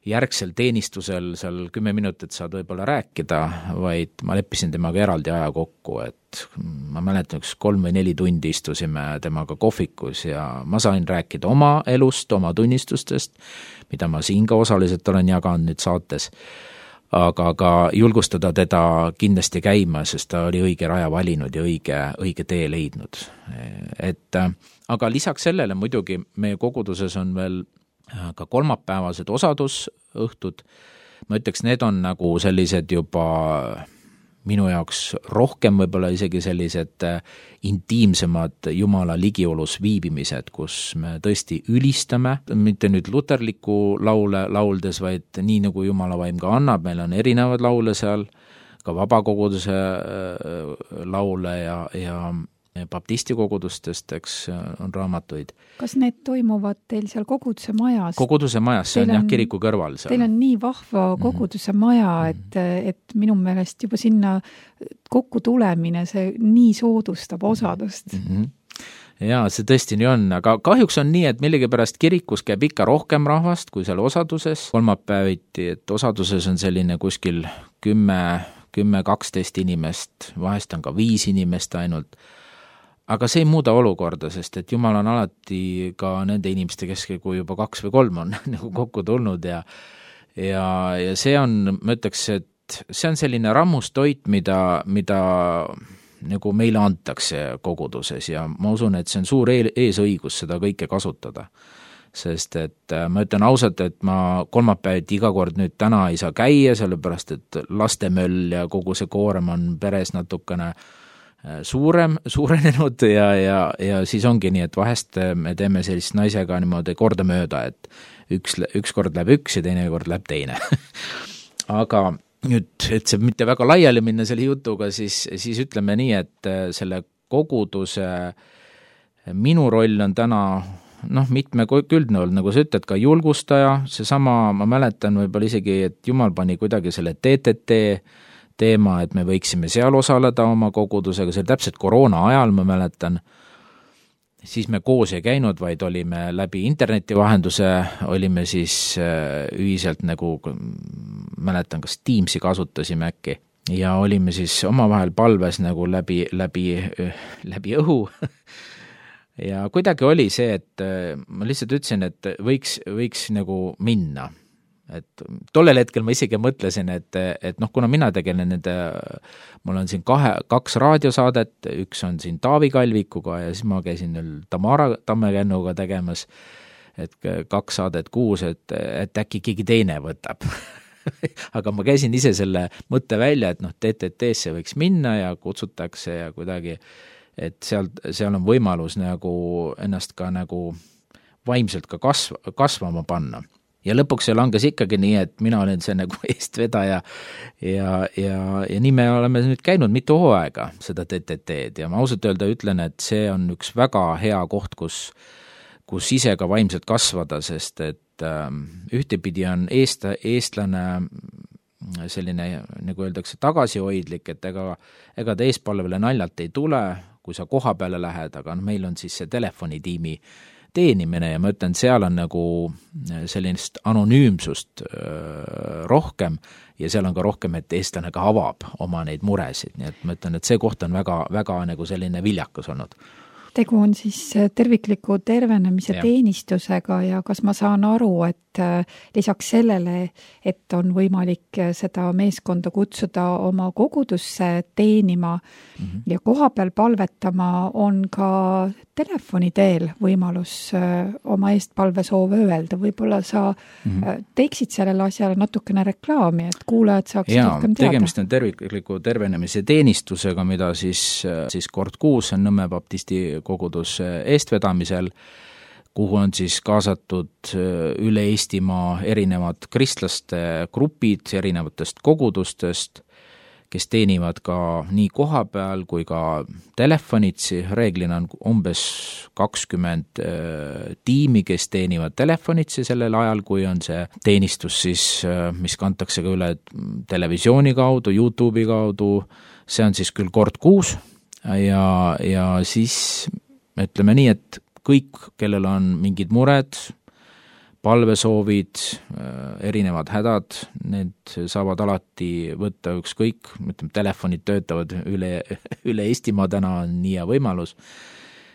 järgsel teenistusel seal kümme minutit saad võib-olla rääkida, vaid ma leppisin temaga eraldi aja kokku, et ma mäletan, üks kolm või neli tundi istusime temaga kohvikus ja ma sain rääkida oma elust, oma tunnistustest, mida ma siin ka osaliselt olen jaganud nüüd saates, aga ka julgustada teda kindlasti käima, sest ta oli õige raja valinud ja õige, õige tee leidnud. Et, aga lisaks sellele muidugi meie koguduses on veel ka kolmapäevased osadusõhtud, ma ütleks, need on nagu sellised juba minu jaoks rohkem võib-olla isegi sellised intiimsemad Jumala ligiolus viibimised, kus me tõesti ülistame, mitte nüüd luterliku laule lauldes, vaid nii nagu Jumala vaim ka annab, meil on erinevad laule seal, ka vabakoguduse laule ja, ja baptistikogudustest, eks on raamatuid. Kas need toimuvad teil seal koguduse majas? Koguduse majas, see on, on jah kiriku kõrval seal. Teil on nii vahva koguduse mm-hmm. maja, et, et minu meelest juba sinna kokku tulemine, see nii soodustab osadust. Mm-hmm. Jaa, see tõesti nii on, aga kahjuks on nii, et millegipärast kirikus käib ikka rohkem rahvast kui seal osaduses. Kolmapäeviti, et osaduses on selline kuskil kümme, kümme, kaksteist inimest, vahest on ka viis inimest ainult. Aga see ei muuda olukorda, sest et Jumal on alati ka nende inimeste keskel, kui juba kaks või kolm on nagu kokku tulnud ja, ja, ja see on, ma ütleks, et see on selline rammustoit, mida, mida nagu meile antakse koguduses ja ma usun, et see on suur eesõigus seda kõike kasutada. Sest et ma ütlen ausalt, et ma kolmapäeviti iga kord nüüd täna ei saa käia, sellepärast et lastemöll ja kogu see koorem on peres natukene suurem, suurenenud ja, ja, ja siis ongi nii, et vahest me teeme sellist naisega niimoodi korda mööda, et üks, üks kord läheb üks ja teine kord läheb teine. Aga nüüd, et see mitte väga laiali minna selle jutuga, siis, siis ütleme nii, et selle koguduse minu roll on täna noh, mitme küldne olnud, nagu sa ütled, ka julgustaja, seesama, ma mäletan võib-olla isegi, et Jumal pani kuidagi selle T T T teema, et me võiksime seal osaleda oma kogudusega, see oli täpselt koroona ajal, ma mäletan, siis me koos ei käinud, vaid olime läbi interneti vahenduse, olime siis ühiselt nagu, mäletan, kas Teamsi kasutasime äkki, ja olime siis omavahel palves nagu läbi, läbi, läbi õhu. Ja kuidagi oli see, et ma lihtsalt ütlesin, et võiks, võiks nagu minna. Et tollel hetkel ma isegi mõtlesin, et, et noh, kuna mina tegelen nende, mul on siin kahe, kaks raadiosaadet, üks on siin Taavi Kalvikuga ja siis ma käisin nüüd Tamara Tammekännuga tegemas, et kaks saadet kuus, et, et äkki keegi teine võtab. Aga ma käisin ise selle mõtte välja, et noh, T T T-sse võiks minna ja kutsutakse ja kuidagi, et seal, seal on võimalus nagu ennast ka nagu vaimselt ka kasv, kasvama panna. Ja lõpuks see langes ikkagi nii, et mina olen see nagu eestvedaja ja, ja, ja nii me oleme nüüd käinud mitu hooaega seda T T T-d ja ma ausalt öelda ütlen, et see on üks väga hea koht, kus, kus ise ka vaimselt kasvada, sest et ähm, ühtepidi on eest, eestlane selline, nagu öeldakse, tagasihoidlik, et ega, ega ta eespalvele naljalt ei tule, kui sa koha peale lähed, aga meil on siis see telefonitiimi teenimine ja ma ütlen, seal on nagu sellist anonüümsust rohkem ja seal on ka rohkem, et eestlane ka avab oma neid muresid, nii et ma ütlen, et see koht on väga, väga nagu selline viljakas olnud. Tegu on siis tervikliku tervenemise ja. Teenistusega ja kas ma saan aru, et lisaks sellele, et on võimalik seda meeskonda kutsuda oma kogudusse teenima mm-hmm. ja kohapeal palvetama, on ka telefoni teel võimalus oma eestpalvesoove öelda. Võib-olla sa mm-hmm. teeksid sellele asjale natukene reklaami, et kuulajad saaksid ja, rohkem teada. Tegemist on tervikliku tervenemise teenistusega, mida siis, siis kord kuus on Nõmme baptisti kogudus eestvedamisel, kuhu on siis kaasatud üle Eestimaa erinevad kristlaste grupid erinevatest kogudustest, kes teenivad ka nii koha peal kui ka telefonitsi. Reeglina on umbes kakskümmend tiimi, kes teenivad telefonitsi sellel ajal, kui on see teenistus siis, mis kantakse ka üle televisiooni kaudu, YouTube'i kaudu. See on siis küll kord kuus ja, ja siis ütleme nii, et kõik, kellel on mingid mured, palvesoovid, erinevad hädad, need saavad alati võtta ükskõik, ütleme, telefonid töötavad üle, üle Eestimaa, täna on nii hea võimalus,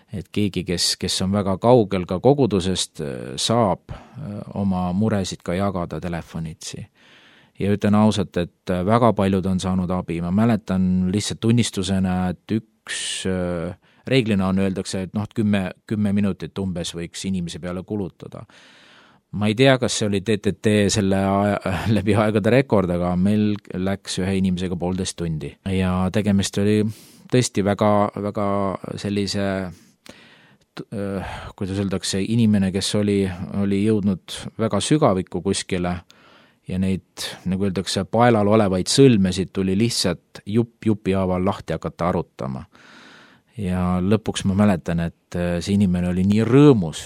et keegi, kes, kes on väga kaugel ka kogudusest, saab oma muresid ka jagada telefonitsi. Ja ütlen ausalt, et väga paljud on saanud abi, ma mäletan lihtsalt tunnistusena, et üks reeglina on, öeldakse, et noh, kümme, kümme minutit umbes võiks inimese peale kulutada. Ma ei tea, kas see oli T T T selle aja, läbi aegade rekord, aga meil läks ühe inimesega poolteist tundi. Ja tegemist oli tõesti väga, väga sellise, kuidas öeldakse, inimene, kes oli, oli jõudnud väga sügavikku kuskile ja neid, nagu öeldakse, paelal olevaid sõlmesid tuli lihtsalt jupp jupi haaval lahti hakata arutama. ja lõpuks ma mäletan, et see inimene oli nii rõõmus,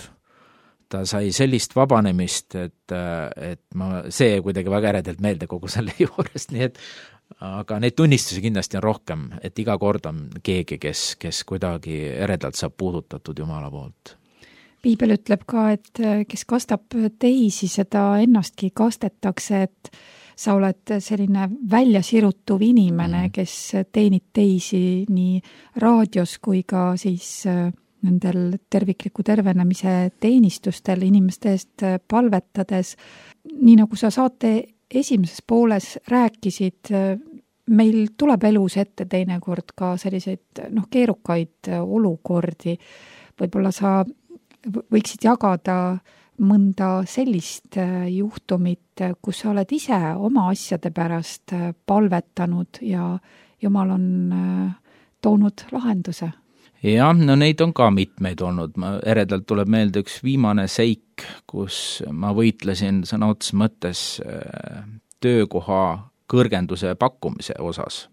ta sai sellist vabanemist, et, et ma, see kuidagi väga eredelt meelde kogu selle juurest, nii et aga neid tunnistusi kindlasti on rohkem, et iga kord on keegi, kes, kes kuidagi eredalt saab puudutatud Jumala poolt. Piibel ütleb ka, et kes kastab teisi, seda ennastki kastetakse, et sa oled selline väljasirutuv inimene, mm. kes teenid teisi nii raadios kui ka siis nendel tervikliku tervenemise teenistustel inimeste eest palvetades. Nii nagu sa saate esimeses pooles rääkisid, meil tuleb elus ette teinekord ka selliseid noh, keerukaid olukordi. Võib-olla sa võiksid jagada mõnda sellist juhtumit, kus sa oled ise oma asjade pärast palvetanud ja Jumal on toonud lahenduse. Jah, no neid on ka mitmeid olnud. Ma eredalt tuleb meelde üks viimane seik, kus ma võitlesin sõna otseses mõttes töökoha kõrgenduse pakkumise osas.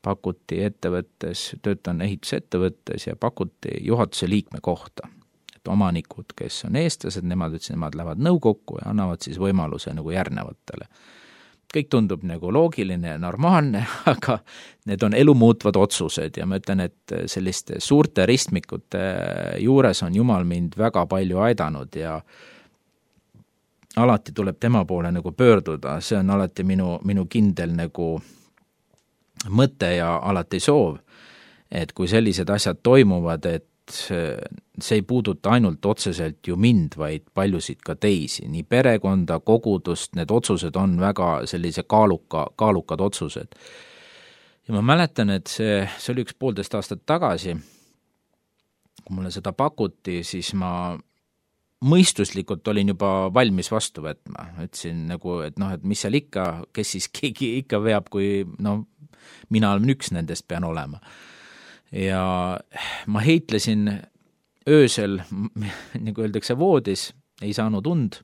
Pakuti ettevõttes, töötan ehitusettevõttes ja pakuti juhatuse liikme kohta. Et omanikud, kes on eestlased, nemad ütlesid, nemad lähevad nõukokku ja annavad siis võimaluse nagu järgnevatele. Kõik tundub nagu loogiline ja normaalne, aga need on elumuutvad otsused ja ma ütlen, et selliste suurte ristmikute juures on Jumal mind väga palju aidanud ja alati tuleb tema poole nagu pöörduda, see on alati minu, minu kindel nagu mõte ja alati soov, et kui sellised asjad toimuvad, et see ei puuduta ainult otseselt ju mind, vaid paljusid ka teisi, nii perekonda, kogudust, need otsused on väga sellise kaaluka, kaalukad otsused. Ja ma mäletan, et see, see oli üks poolteist aastat tagasi, kui mulle seda pakuti, siis ma mõistuslikult olin juba valmis vastu võtma. Ütlesin nagu, et noh, et mis seal ikka, kes siis keegi ikka veab, kui no, mina olen üks nendest pean olema. Ja ma heitlesin öösel, nagu öeldakse, voodis, ei saanud und.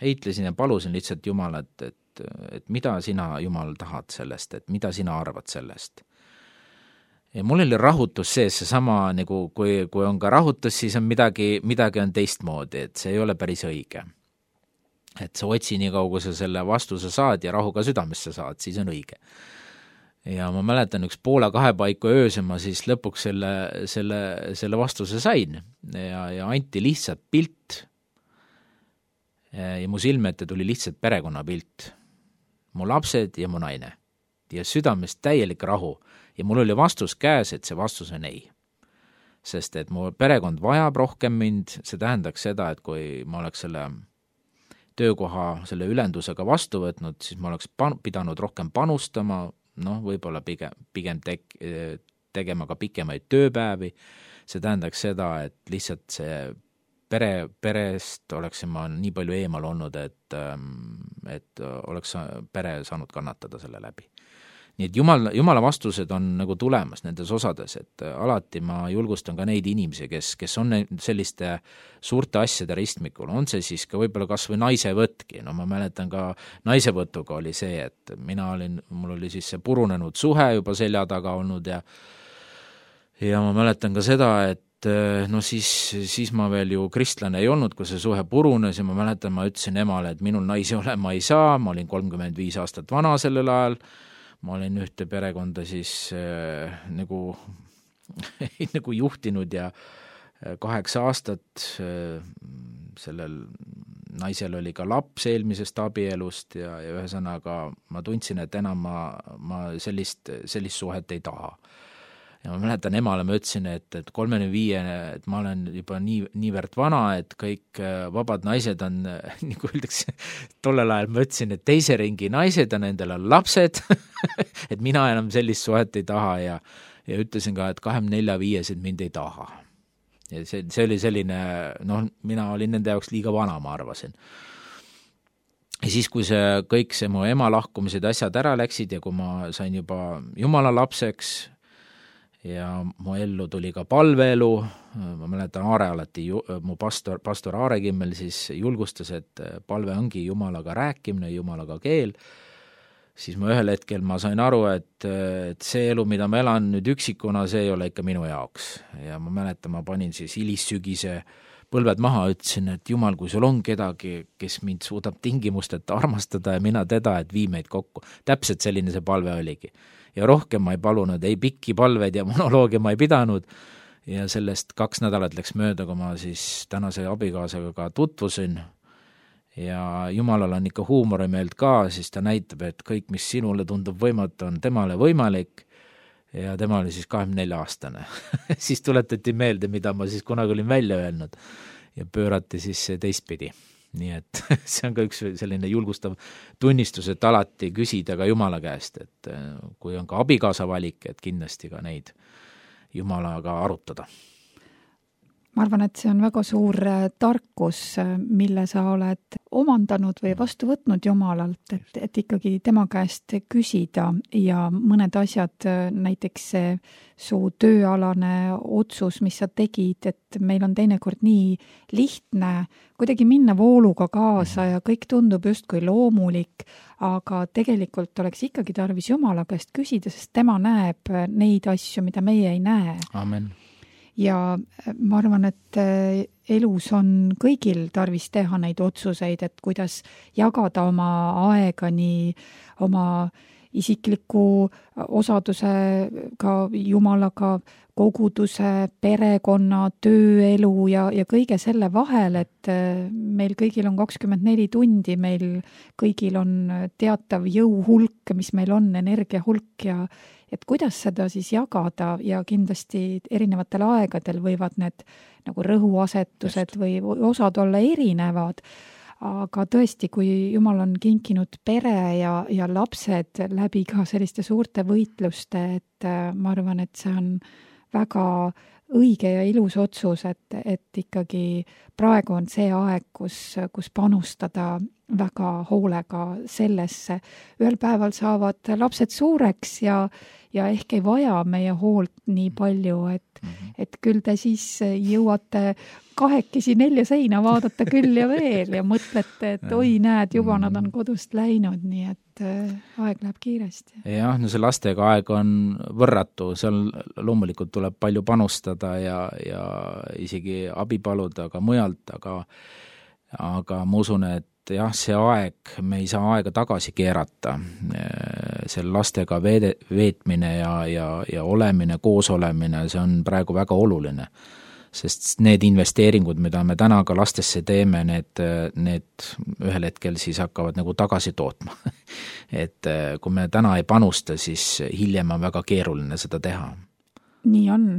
Heitlesin ja palusin lihtsalt Jumalat, et, et mida sina, Jumal, tahad sellest, et mida sina arvad sellest. Ja mul oli rahutus sees, see sama, nagu kui, kui on ka rahutus, siis on midagi, midagi on teistmoodi, et see ei ole päris õige. Et sa otsi nii kaua, kui sa selle vastuse saad ja rahuga südamesse saad, siis on õige. Ja ma mäletan üks poole kahe paiku ööse ma siis lõpuks selle, selle, selle vastuse sain ja, ja anti lihtsalt pilt ja mu silme ette tuli lihtsalt perekonnapilt. Mu lapsed ja mu naine ja südamest täielik rahu ja mul oli vastus käes, et see vastus on ei. Sest et mu perekond vajab rohkem mind, see tähendaks seda, et kui ma oleks selle töökoha selle ülendusega vastu võtnud, siis ma oleks pan- pidanud rohkem panustama, noh, võib-olla pigem, pigem tek, tegema ka pikemaid tööpäevi, see tähendaks seda, et lihtsalt see pere, perest oleksin ma nii palju eemal olnud, et, et oleks pere saanud kannatada selle läbi. Nii et Jumal, Jumala vastused on nagu tulemas nendes osades, et alati ma julgustan ka neid inimesi, kes, kes on selliste suurte asjade ristmikul, on see siis ka võib-olla kas või naisevõtki, no ma mäletan ka naisevõtuga oli see, et mina olin, mul oli siis see purunenud suhe juba selja taga olnud ja ja ma mäletan ka seda, et no siis, siis ma veel ju kristlane ei olnud, kui see suhe purunes ja ma mäletan, ma ütlesin emale, et minul naisi olema ei saa, ma olin kolmkümmend viis aastat vana sellel ajal, ma olin ühte perekonda siis äh, nagu, nagu juhtinud ja kaheksa aastat äh, sellel naisel oli ka laps eelmisest abielust ja, ja ühesõnaga ma tundsin, et enam ma, ma sellist, sellist suhet ei taha. Ja ma mäletan emale, ma ütlesin, et, et kolmekümne viie, et ma olen juba nii, niivõrd vana, et kõik vabad naised on, nagu öeldakse, tollel ajal ma ütlesin, et teise ringi naised on, nendel on lapsed, et mina enam sellist suhet ei taha ja, ja ütlesin ka, et kahekümne nelja viiesed mind ei taha. Ja see, see oli selline, noh, mina olin nende jaoks liiga vana, ma arvasin. Ja siis, kui see kõik see mu ema lahkumised asjad ära läksid ja kui ma sain juba Jumala lapseks, ja mu ellu tuli ka palveelu, ma mäletan Aare alati, mu pastor, pastor Aare Kimmel siis julgustas, et palve ongi Jumalaga rääkimine, Jumalaga keel, siis ma ühel hetkel ma sain aru, et, et see elu, mida ma elan nüüd üksikuna, see ei ole ikka minu jaoks. Ja ma mäletan, ma panin siis hilissügise põlved maha, ütlesin, et jumal, kui sul on kedagi, kes mind suudab tingimusteta armastada ja mina teda, et vii meid kokku. Täpselt selline see palve oligi. Ja rohkem ma ei palunud, ei pikki palveid ja monoloogia ma ei pidanud. Ja sellest kaks nädalat läks mööda, kui ma siis tänase abikaasaga ka tutvusin. Ja Jumalal on ikka huumorimeelt ka, siis ta näitab, et kõik, mis sinule tundub võimatu, on temale võimalik. Ja tema oli siis kahekümne nelja aastane. Siis tuletati meelde, mida ma siis kunagi olin välja öelnud ja pöörati siis teistpidi. Nii et see on ka üks selline julgustav tunnistus, et alati küsida ka Jumala käest, et kui on ka abikaasa valik, et kindlasti ka neid Jumalaga arutada. Ma arvan, et see on väga suur tarkus, mille sa oled omandanud või vastu võtnud Jumalalt, et, et ikkagi tema käest küsida ja mõned asjad, näiteks see su tööalane otsus, mis sa tegid, et meil on teinekord nii lihtne kuidagi minna vooluga kaasa ja kõik tundub justkui loomulik, aga tegelikult oleks ikkagi tarvis Jumala käest küsida, sest tema näeb neid asju, mida meie ei näe. Amen. Ja ma arvan, et elus on kõigil tarvis teha neid otsuseid, et kuidas jagada oma aega nii oma isikliku osadusega Jumalaga, koguduse, perekonna, tööelu ja, ja kõige selle vahel, et meil kõigil on kakskümmend neli tundi, meil kõigil on teatav jõuhulk, mis meil on, energia hulk ja et kuidas seda siis jagada ja kindlasti erinevatel aegadel võivad need nagu rõhuasetused Just. või osad olla erinevad, aga tõesti, kui Jumal on kinkinud pere ja, ja lapsed läbi ka selliste suurte võitluste, et ma arvan, et see on väga õige ja ilus otsus, et, et ikkagi praegu on see aeg, kus, kus panustada väga hoolega sellesse. Ühel päeval saavad lapsed suureks ja, ja ehk ei vaja meie hoolt nii palju, et, et küll te siis jõuate kahekesi nelja seina vaadata küll ja veel ja mõtlete, et oi näed, juba nad on kodust läinud, nii et aeg läheb kiiresti. Jah, no see lastega aeg on võrratu, seal loomulikult tuleb palju panustada ja, ja isegi abi paluda ka mujalt, aga, aga ma usun, et jah, see aeg, me ei saa aega tagasi keerata, selle lastega veede, veetmine ja, ja, ja olemine, koos olemine, see on praegu väga oluline, sest need investeeringud, mida me täna ka lastesse teeme, need, need ühel hetkel siis hakkavad nagu tagasi tootma. Et kui me täna ei panusta, siis hiljem on väga keeruline seda teha. Nii on.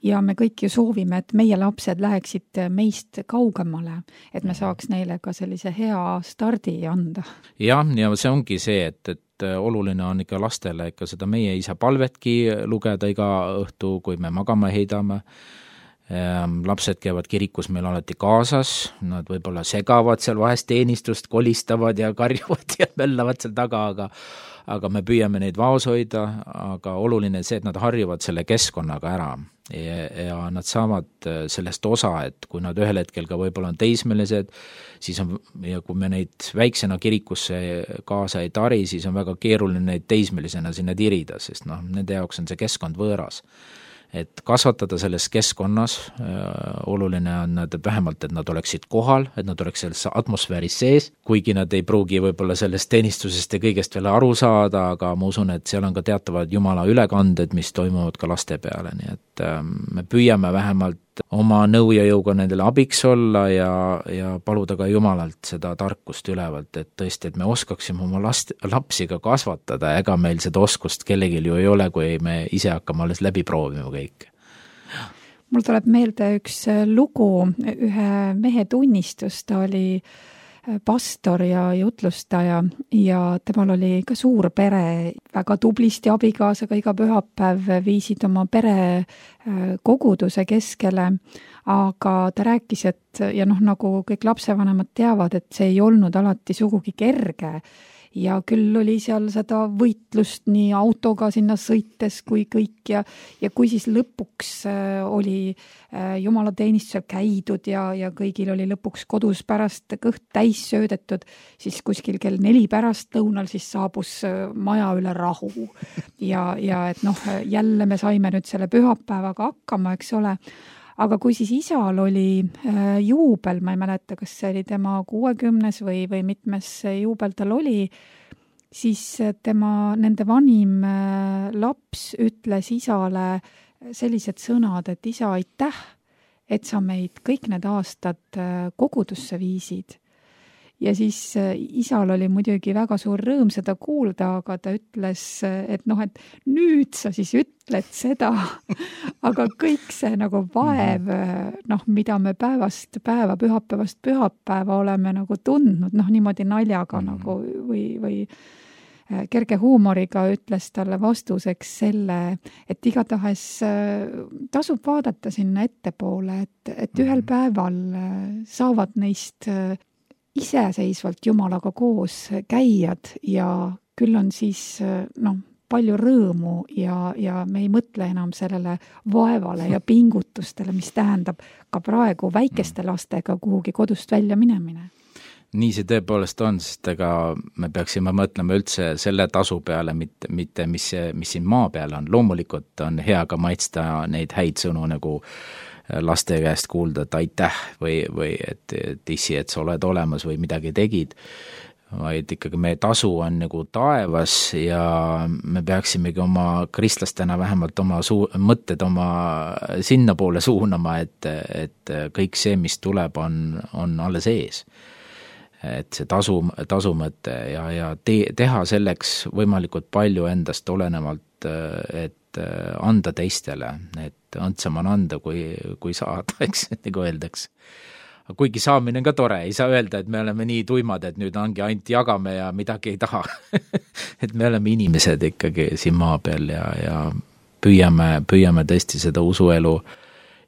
Ja me kõik ju soovime, et meie lapsed läheksid meist kaugemale, et me saaks neile ka sellise hea stardi anda. Jah, ja see ongi see, et, et oluline on ikka lastele ikka seda meie isa palvetki lugeda iga õhtu, kui me magama heidame. Lapsed käivad kirikus meil alati kaasas, nad võib-olla segavad seal vahest teenistust, kolistavad ja karjuvad ja möllavad seal taga, aga aga me püüame neid vaos hoida, aga oluline see, et nad harjuvad selle keskkonnaga ära ja, ja nad saavad sellest osa, et kui nad ühel hetkel ka võib-olla on teismelised, siis on, ja kui me neid väiksena kirikusse kaasa ei tari, siis on väga keeruline neid teismelisena sinna tirida, sest noh, nende jaoks on see keskkond võõras. Et kasvatada selles keskkonnas, oluline on, et vähemalt, et nad oleksid kohal, et nad oleks selles atmosfääris sees, kuigi nad ei pruugi võib-olla sellest teenistusest ja kõigest veel aru saada, aga ma usun, et seal on ka teatavad Jumala ülekanded, mis toimuvad ka laste peale, nii et me püüame vähemalt oma nõu ja jõuga nendele abiks olla ja, ja paluda ka Jumalalt seda tarkust ülevalt, et tõesti, et me oskaksime oma last, lapsi ka kasvatada, ega meil seda oskust kellelgi ju ei ole, kui me ise hakkame alles läbi proovima kõik. Mul tuleb meelde üks lugu, ühe mehe tunnistus, ta oli pastor ja jutlustaja ja temal oli ka suur pere, väga tublisti abikaasaga iga pühapäev viisid oma pere koguduse keskele, aga ta rääkis, et ja noh, nagu kõik lapsevanemad teavad, et see ei olnud alati sugugi kerge ja küll oli seal seda võitlust nii autoga sinna sõites kui kõik ja, ja kui siis lõpuks äh, oli äh, jumalateenistusel käidud ja, ja kõigil oli lõpuks kodus pärast kõht täis söödetud, siis kuskil kell neli pärast lõunal siis saabus äh, maja üle rahu. Ja, ja et noh, jälle me saime nüüd selle pühapäevaga hakkama, eks ole. Aga kui siis isal oli äh, juubel, ma ei mäleta, kas see oli tema kuuekümnes või, või mitmes juubel tal oli, siis tema, nende vanim äh, laps ütles isale sellised sõnad, et isa, aitäh, et sa meid kõik need aastad äh, kogudusse viisid. Ja siis äh, isal oli muidugi väga suur rõõm seda kuulda, aga ta ütles, et noh, et nüüd sa siis ütled seda, aga kõik see nagu vaev, noh, mida me päevast päeva, pühapäevast pühapäeva oleme nagu tundnud, noh, niimoodi naljaga mm-hmm. nagu või, või kerge huumoriga ütles talle vastuseks selle, et igatahes tasub vaadata sinna ettepoole, et, et ühel päeval saavad neist iseseisvalt Jumalaga koos käijad ja küll on siis noh, palju rõõmu ja, ja me ei mõtle enam sellele vaevale ja pingutustele, mis tähendab ka praegu väikeste lastega kuhugi kodust välja minemine. Nii see tõepoolest on, sest ega me peaksime mõtlema üldse selle tasu peale, mitte, mitte mis, mis siin maa peal on. Loomulikult on hea ka maitsta neid häid sõnu nagu laste käest kuulda, et aitäh või, või et, et issi, et sa oled olemas või midagi tegid, vaid ikkagi meie tasu on nagu taevas ja me peaksimegi oma kristlastena vähemalt oma suu-, mõtted oma sinna poole suunama, et, et kõik see, mis tuleb, on, on alles ees. Et see tasu, tasumõte ja, ja te, teha selleks võimalikult palju endast olenevalt, et anda teistele, et andsam on anda, kui, kui saada, eks, nagu öeldaks. Kuigi saamine on ka tore, ei saa öelda, et me oleme nii tuimad, et nüüd ongi ainult jagame ja midagi ei taha. Et me oleme inimesed ikkagi siin maa peal ja, ja püüame, püüame tõesti seda usuelu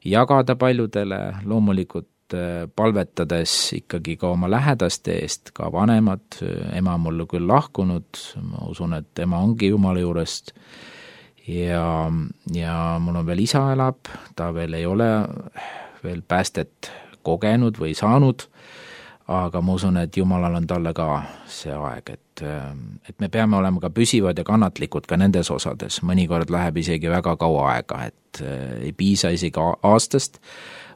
jagada paljudele, loomulikult palvetades ikkagi ka oma lähedaste eest, ka vanemad, ema on mulle küll lahkunud, ma usun, et ema ongi Jumala juurest, ja, ja mul on veel isa elab, ta veel ei ole veel päästet kogenud või saanud, aga ma usun, et Jumalal on talle ka see aeg, et, et me peame olema ka püsivad ja kannatlikud ka nendes osades, mõnikord läheb isegi väga kaua aega, et ei piisa isegi aastast,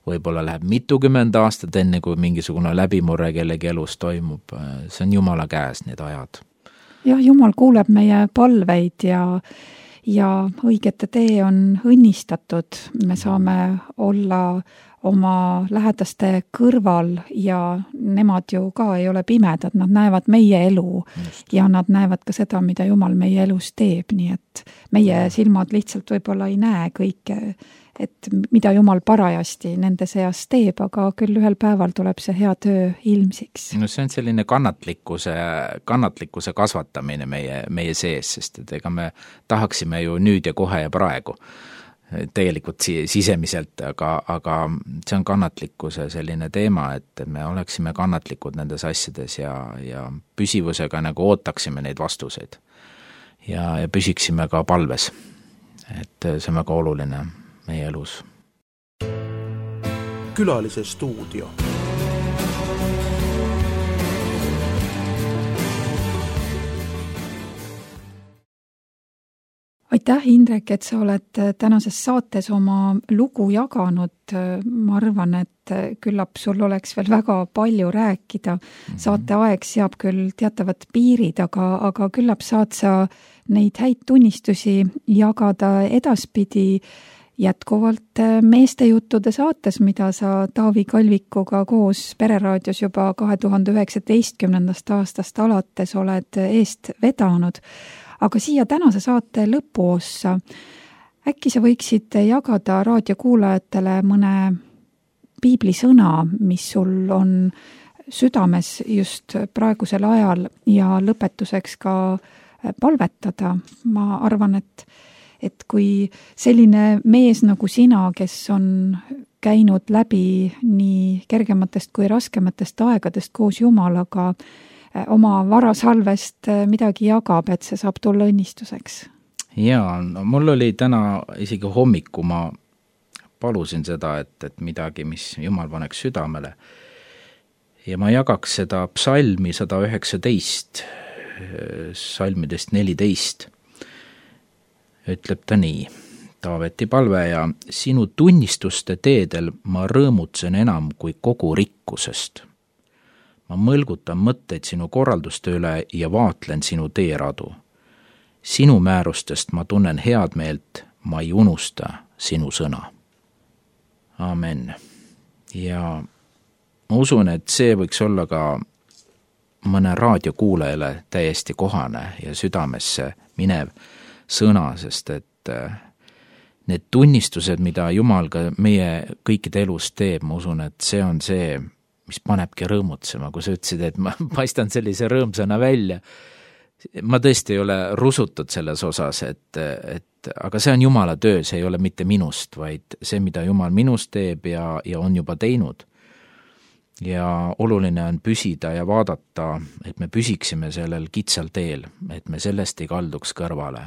võib-olla läheb mitukümmend aastat enne, kui mingisugune läbimurre kellegi elus toimub, see on Jumala käes need ajad. Jah, Jumal kuuleb meie palveid ja ja õigete tee on õnnistatud, me saame olla oma lähedaste kõrval ja nemad ju ka ei ole pimedad, nad näevad meie elu Just. Ja nad näevad ka seda, mida Jumal meie elus teeb, nii et meie silmad lihtsalt võib-olla ei näe kõike, et mida Jumal parajasti nende seas teeb, aga küll ühel päeval tuleb see hea töö ilmsiks. No see on selline kannatlikkuse, kannatlikkuse kasvatamine meie, meie sees, sest et ega me tahaksime ju nüüd ja kohe ja praegu tegelikult sisemiselt, aga, aga see on kannatlikkuse selline teema, et me oleksime kannatlikud nendes asjades ja, ja püsivusega nagu ootaksime neid vastuseid ja, ja püsiksime ka palves, et see on väga oluline meie elus. Külalise stuudio. Aitäh, Indrek, et sa oled tänases saates oma lugu jaganud. Ma arvan, et küllap sul oleks veel väga palju rääkida. Saate aeg seab küll teatavad piirid, aga, aga küllap saad sa neid häid tunnistusi jagada edaspidi jätkuvalt meestejuttude saates, mida sa Taavi Kalvikuga koos Pereraadios juba kahe tuhande üheksateistkümnendast aastast alates oled eest vedanud. Aga siia tänase saate lõpuossa, äkki sa võiksid jagada raadiokuulajatele mõne piiblisõna, mis sul on südames just praegusel ajal ja lõpetuseks ka palvetada. Ma arvan, et, et kui selline mees nagu sina, kes on käinud läbi nii kergematest kui raskematest aegadest koos Jumalaga, oma varasalvest midagi jagab, et see saab tulla õnnistuseks. Jaa, no mul oli täna isegi hommiku, ma palusin seda, et, et midagi, mis Jumal paneks südamele. Ja ma jagaks seda psalmi sada üheksateist, salmidest neliteist. Ütleb ta nii, Taaveti palve ja sinu tunnistuste teedel ma rõõmutsen enam kui kogu rikkusest. Ma mõlgutan mõtteid sinu korralduste üle ja vaatlen sinu teeradu. Sinu määrustest ma tunnen head meelt, ma ei unusta sinu sõna. Amen. Ja ma usun, et see võiks olla ka mõne raadiokuulajale täiesti kohane ja südamesse minev sõna, sest et need tunnistused, mida Jumal ka meie kõikide elus teeb, ma usun, et see on see, mis panebki rõõmutsema, kui sa ütlesid, et ma paistan sellise rõõmsana välja. Ma tõesti ei ole rusutud selles osas, et, et aga see on Jumala töö, see ei ole mitte minust, vaid see, mida Jumal minust teeb ja, ja on juba teinud. Ja oluline on püsida ja vaadata, et me püsiksime sellel kitsal teel, et me sellest ei kalduks kõrvale.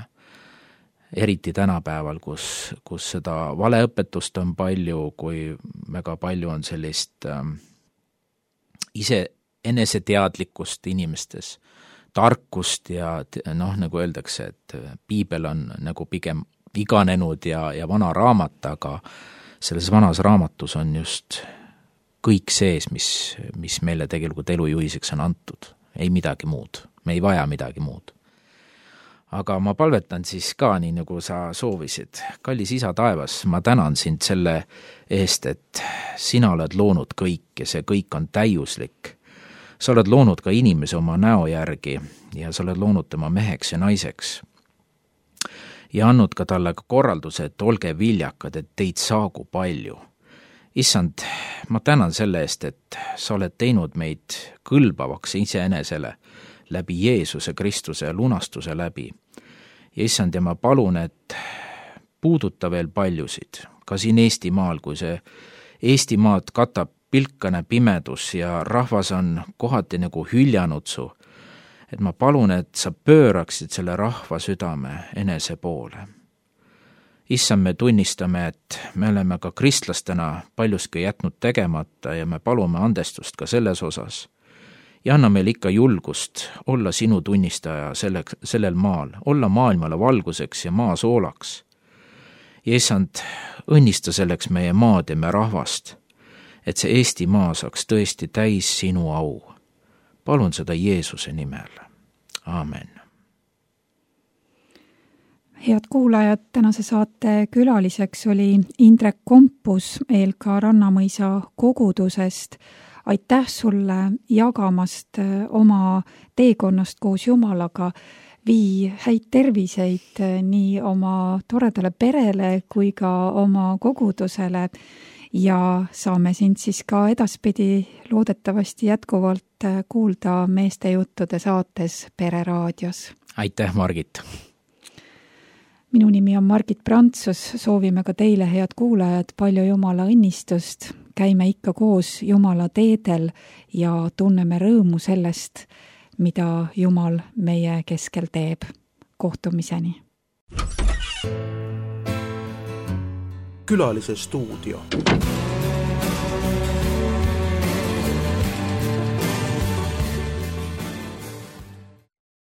Eriti tänapäeval, kus, kus seda valeõpetust on palju, kui väga palju on sellist ähm, ise eneseteadlikkust inimestes, tarkust ja noh, nagu öeldakse, et piibel on nagu pigem iganenud ja, ja vana raamat, aga selles vanas raamatus on just kõik sees, mis, mis meile tegelikult elujuhiseks on antud. Ei midagi muud, me ei vaja midagi muud. Aga ma palvetan siis ka, nii nagu sa soovisid. Kallis isa taevas, ma tänan sind selle eest, et sina oled loonud kõik ja see kõik on täiuslik. Sa oled loonud ka inimese oma näo järgi ja sa oled loonud tema meheks ja naiseks. Ja andnud ka talle ka korralduse, et olge viljakad, et teid saagu palju. Issand, ma tänan selle eest, et sa oled teinud meid kõlbavaks iseenesele läbi Jeesuse Kristuse lunastuse läbi. Ja issand, ja ma palun, et puuduta veel paljusid, ka siin Eestimaal, kui see Eestimaad katab pilkane pimedus ja rahvas on kohati nagu hüljanud su, et ma palun, et sa pööraksid selle rahva südame enese poole. Issand, me tunnistame, et me oleme ka kristlastena paljuski jätnud tegemata ja me palume andestust ka selles osas. Ja anna meil ikka julgust olla sinu tunnistaja selleks, sellel maal, olla maailmale valguseks ja maa soolaks. Ja issand, õnnista selleks meie maad ja me rahvast, et see Eesti maa saaks tõesti täis sinu au. Palun seda Jeesuse nimel. Aamen. Head kuulajad, tänase saate külaliseks oli Indrek Kompus E L K Rannamõisa kogudusest. Aitäh sulle jagamast oma teekonnast koos Jumalaga. Vii häid terviseid nii oma toredale perele kui ka oma kogudusele ja saame sind siis ka edaspidi loodetavasti jätkuvalt kuulda meeste juttude saates Pereraadios. Aitäh, Margit! Minu nimi on Margit Prantsus, soovime ka teile, head kuulajad, palju Jumala õnnistust. Käime ikka koos Jumala teedel ja tunneme rõõmu sellest, mida Jumal meie keskel teeb. Kohtumiseni. Külalise stuudio.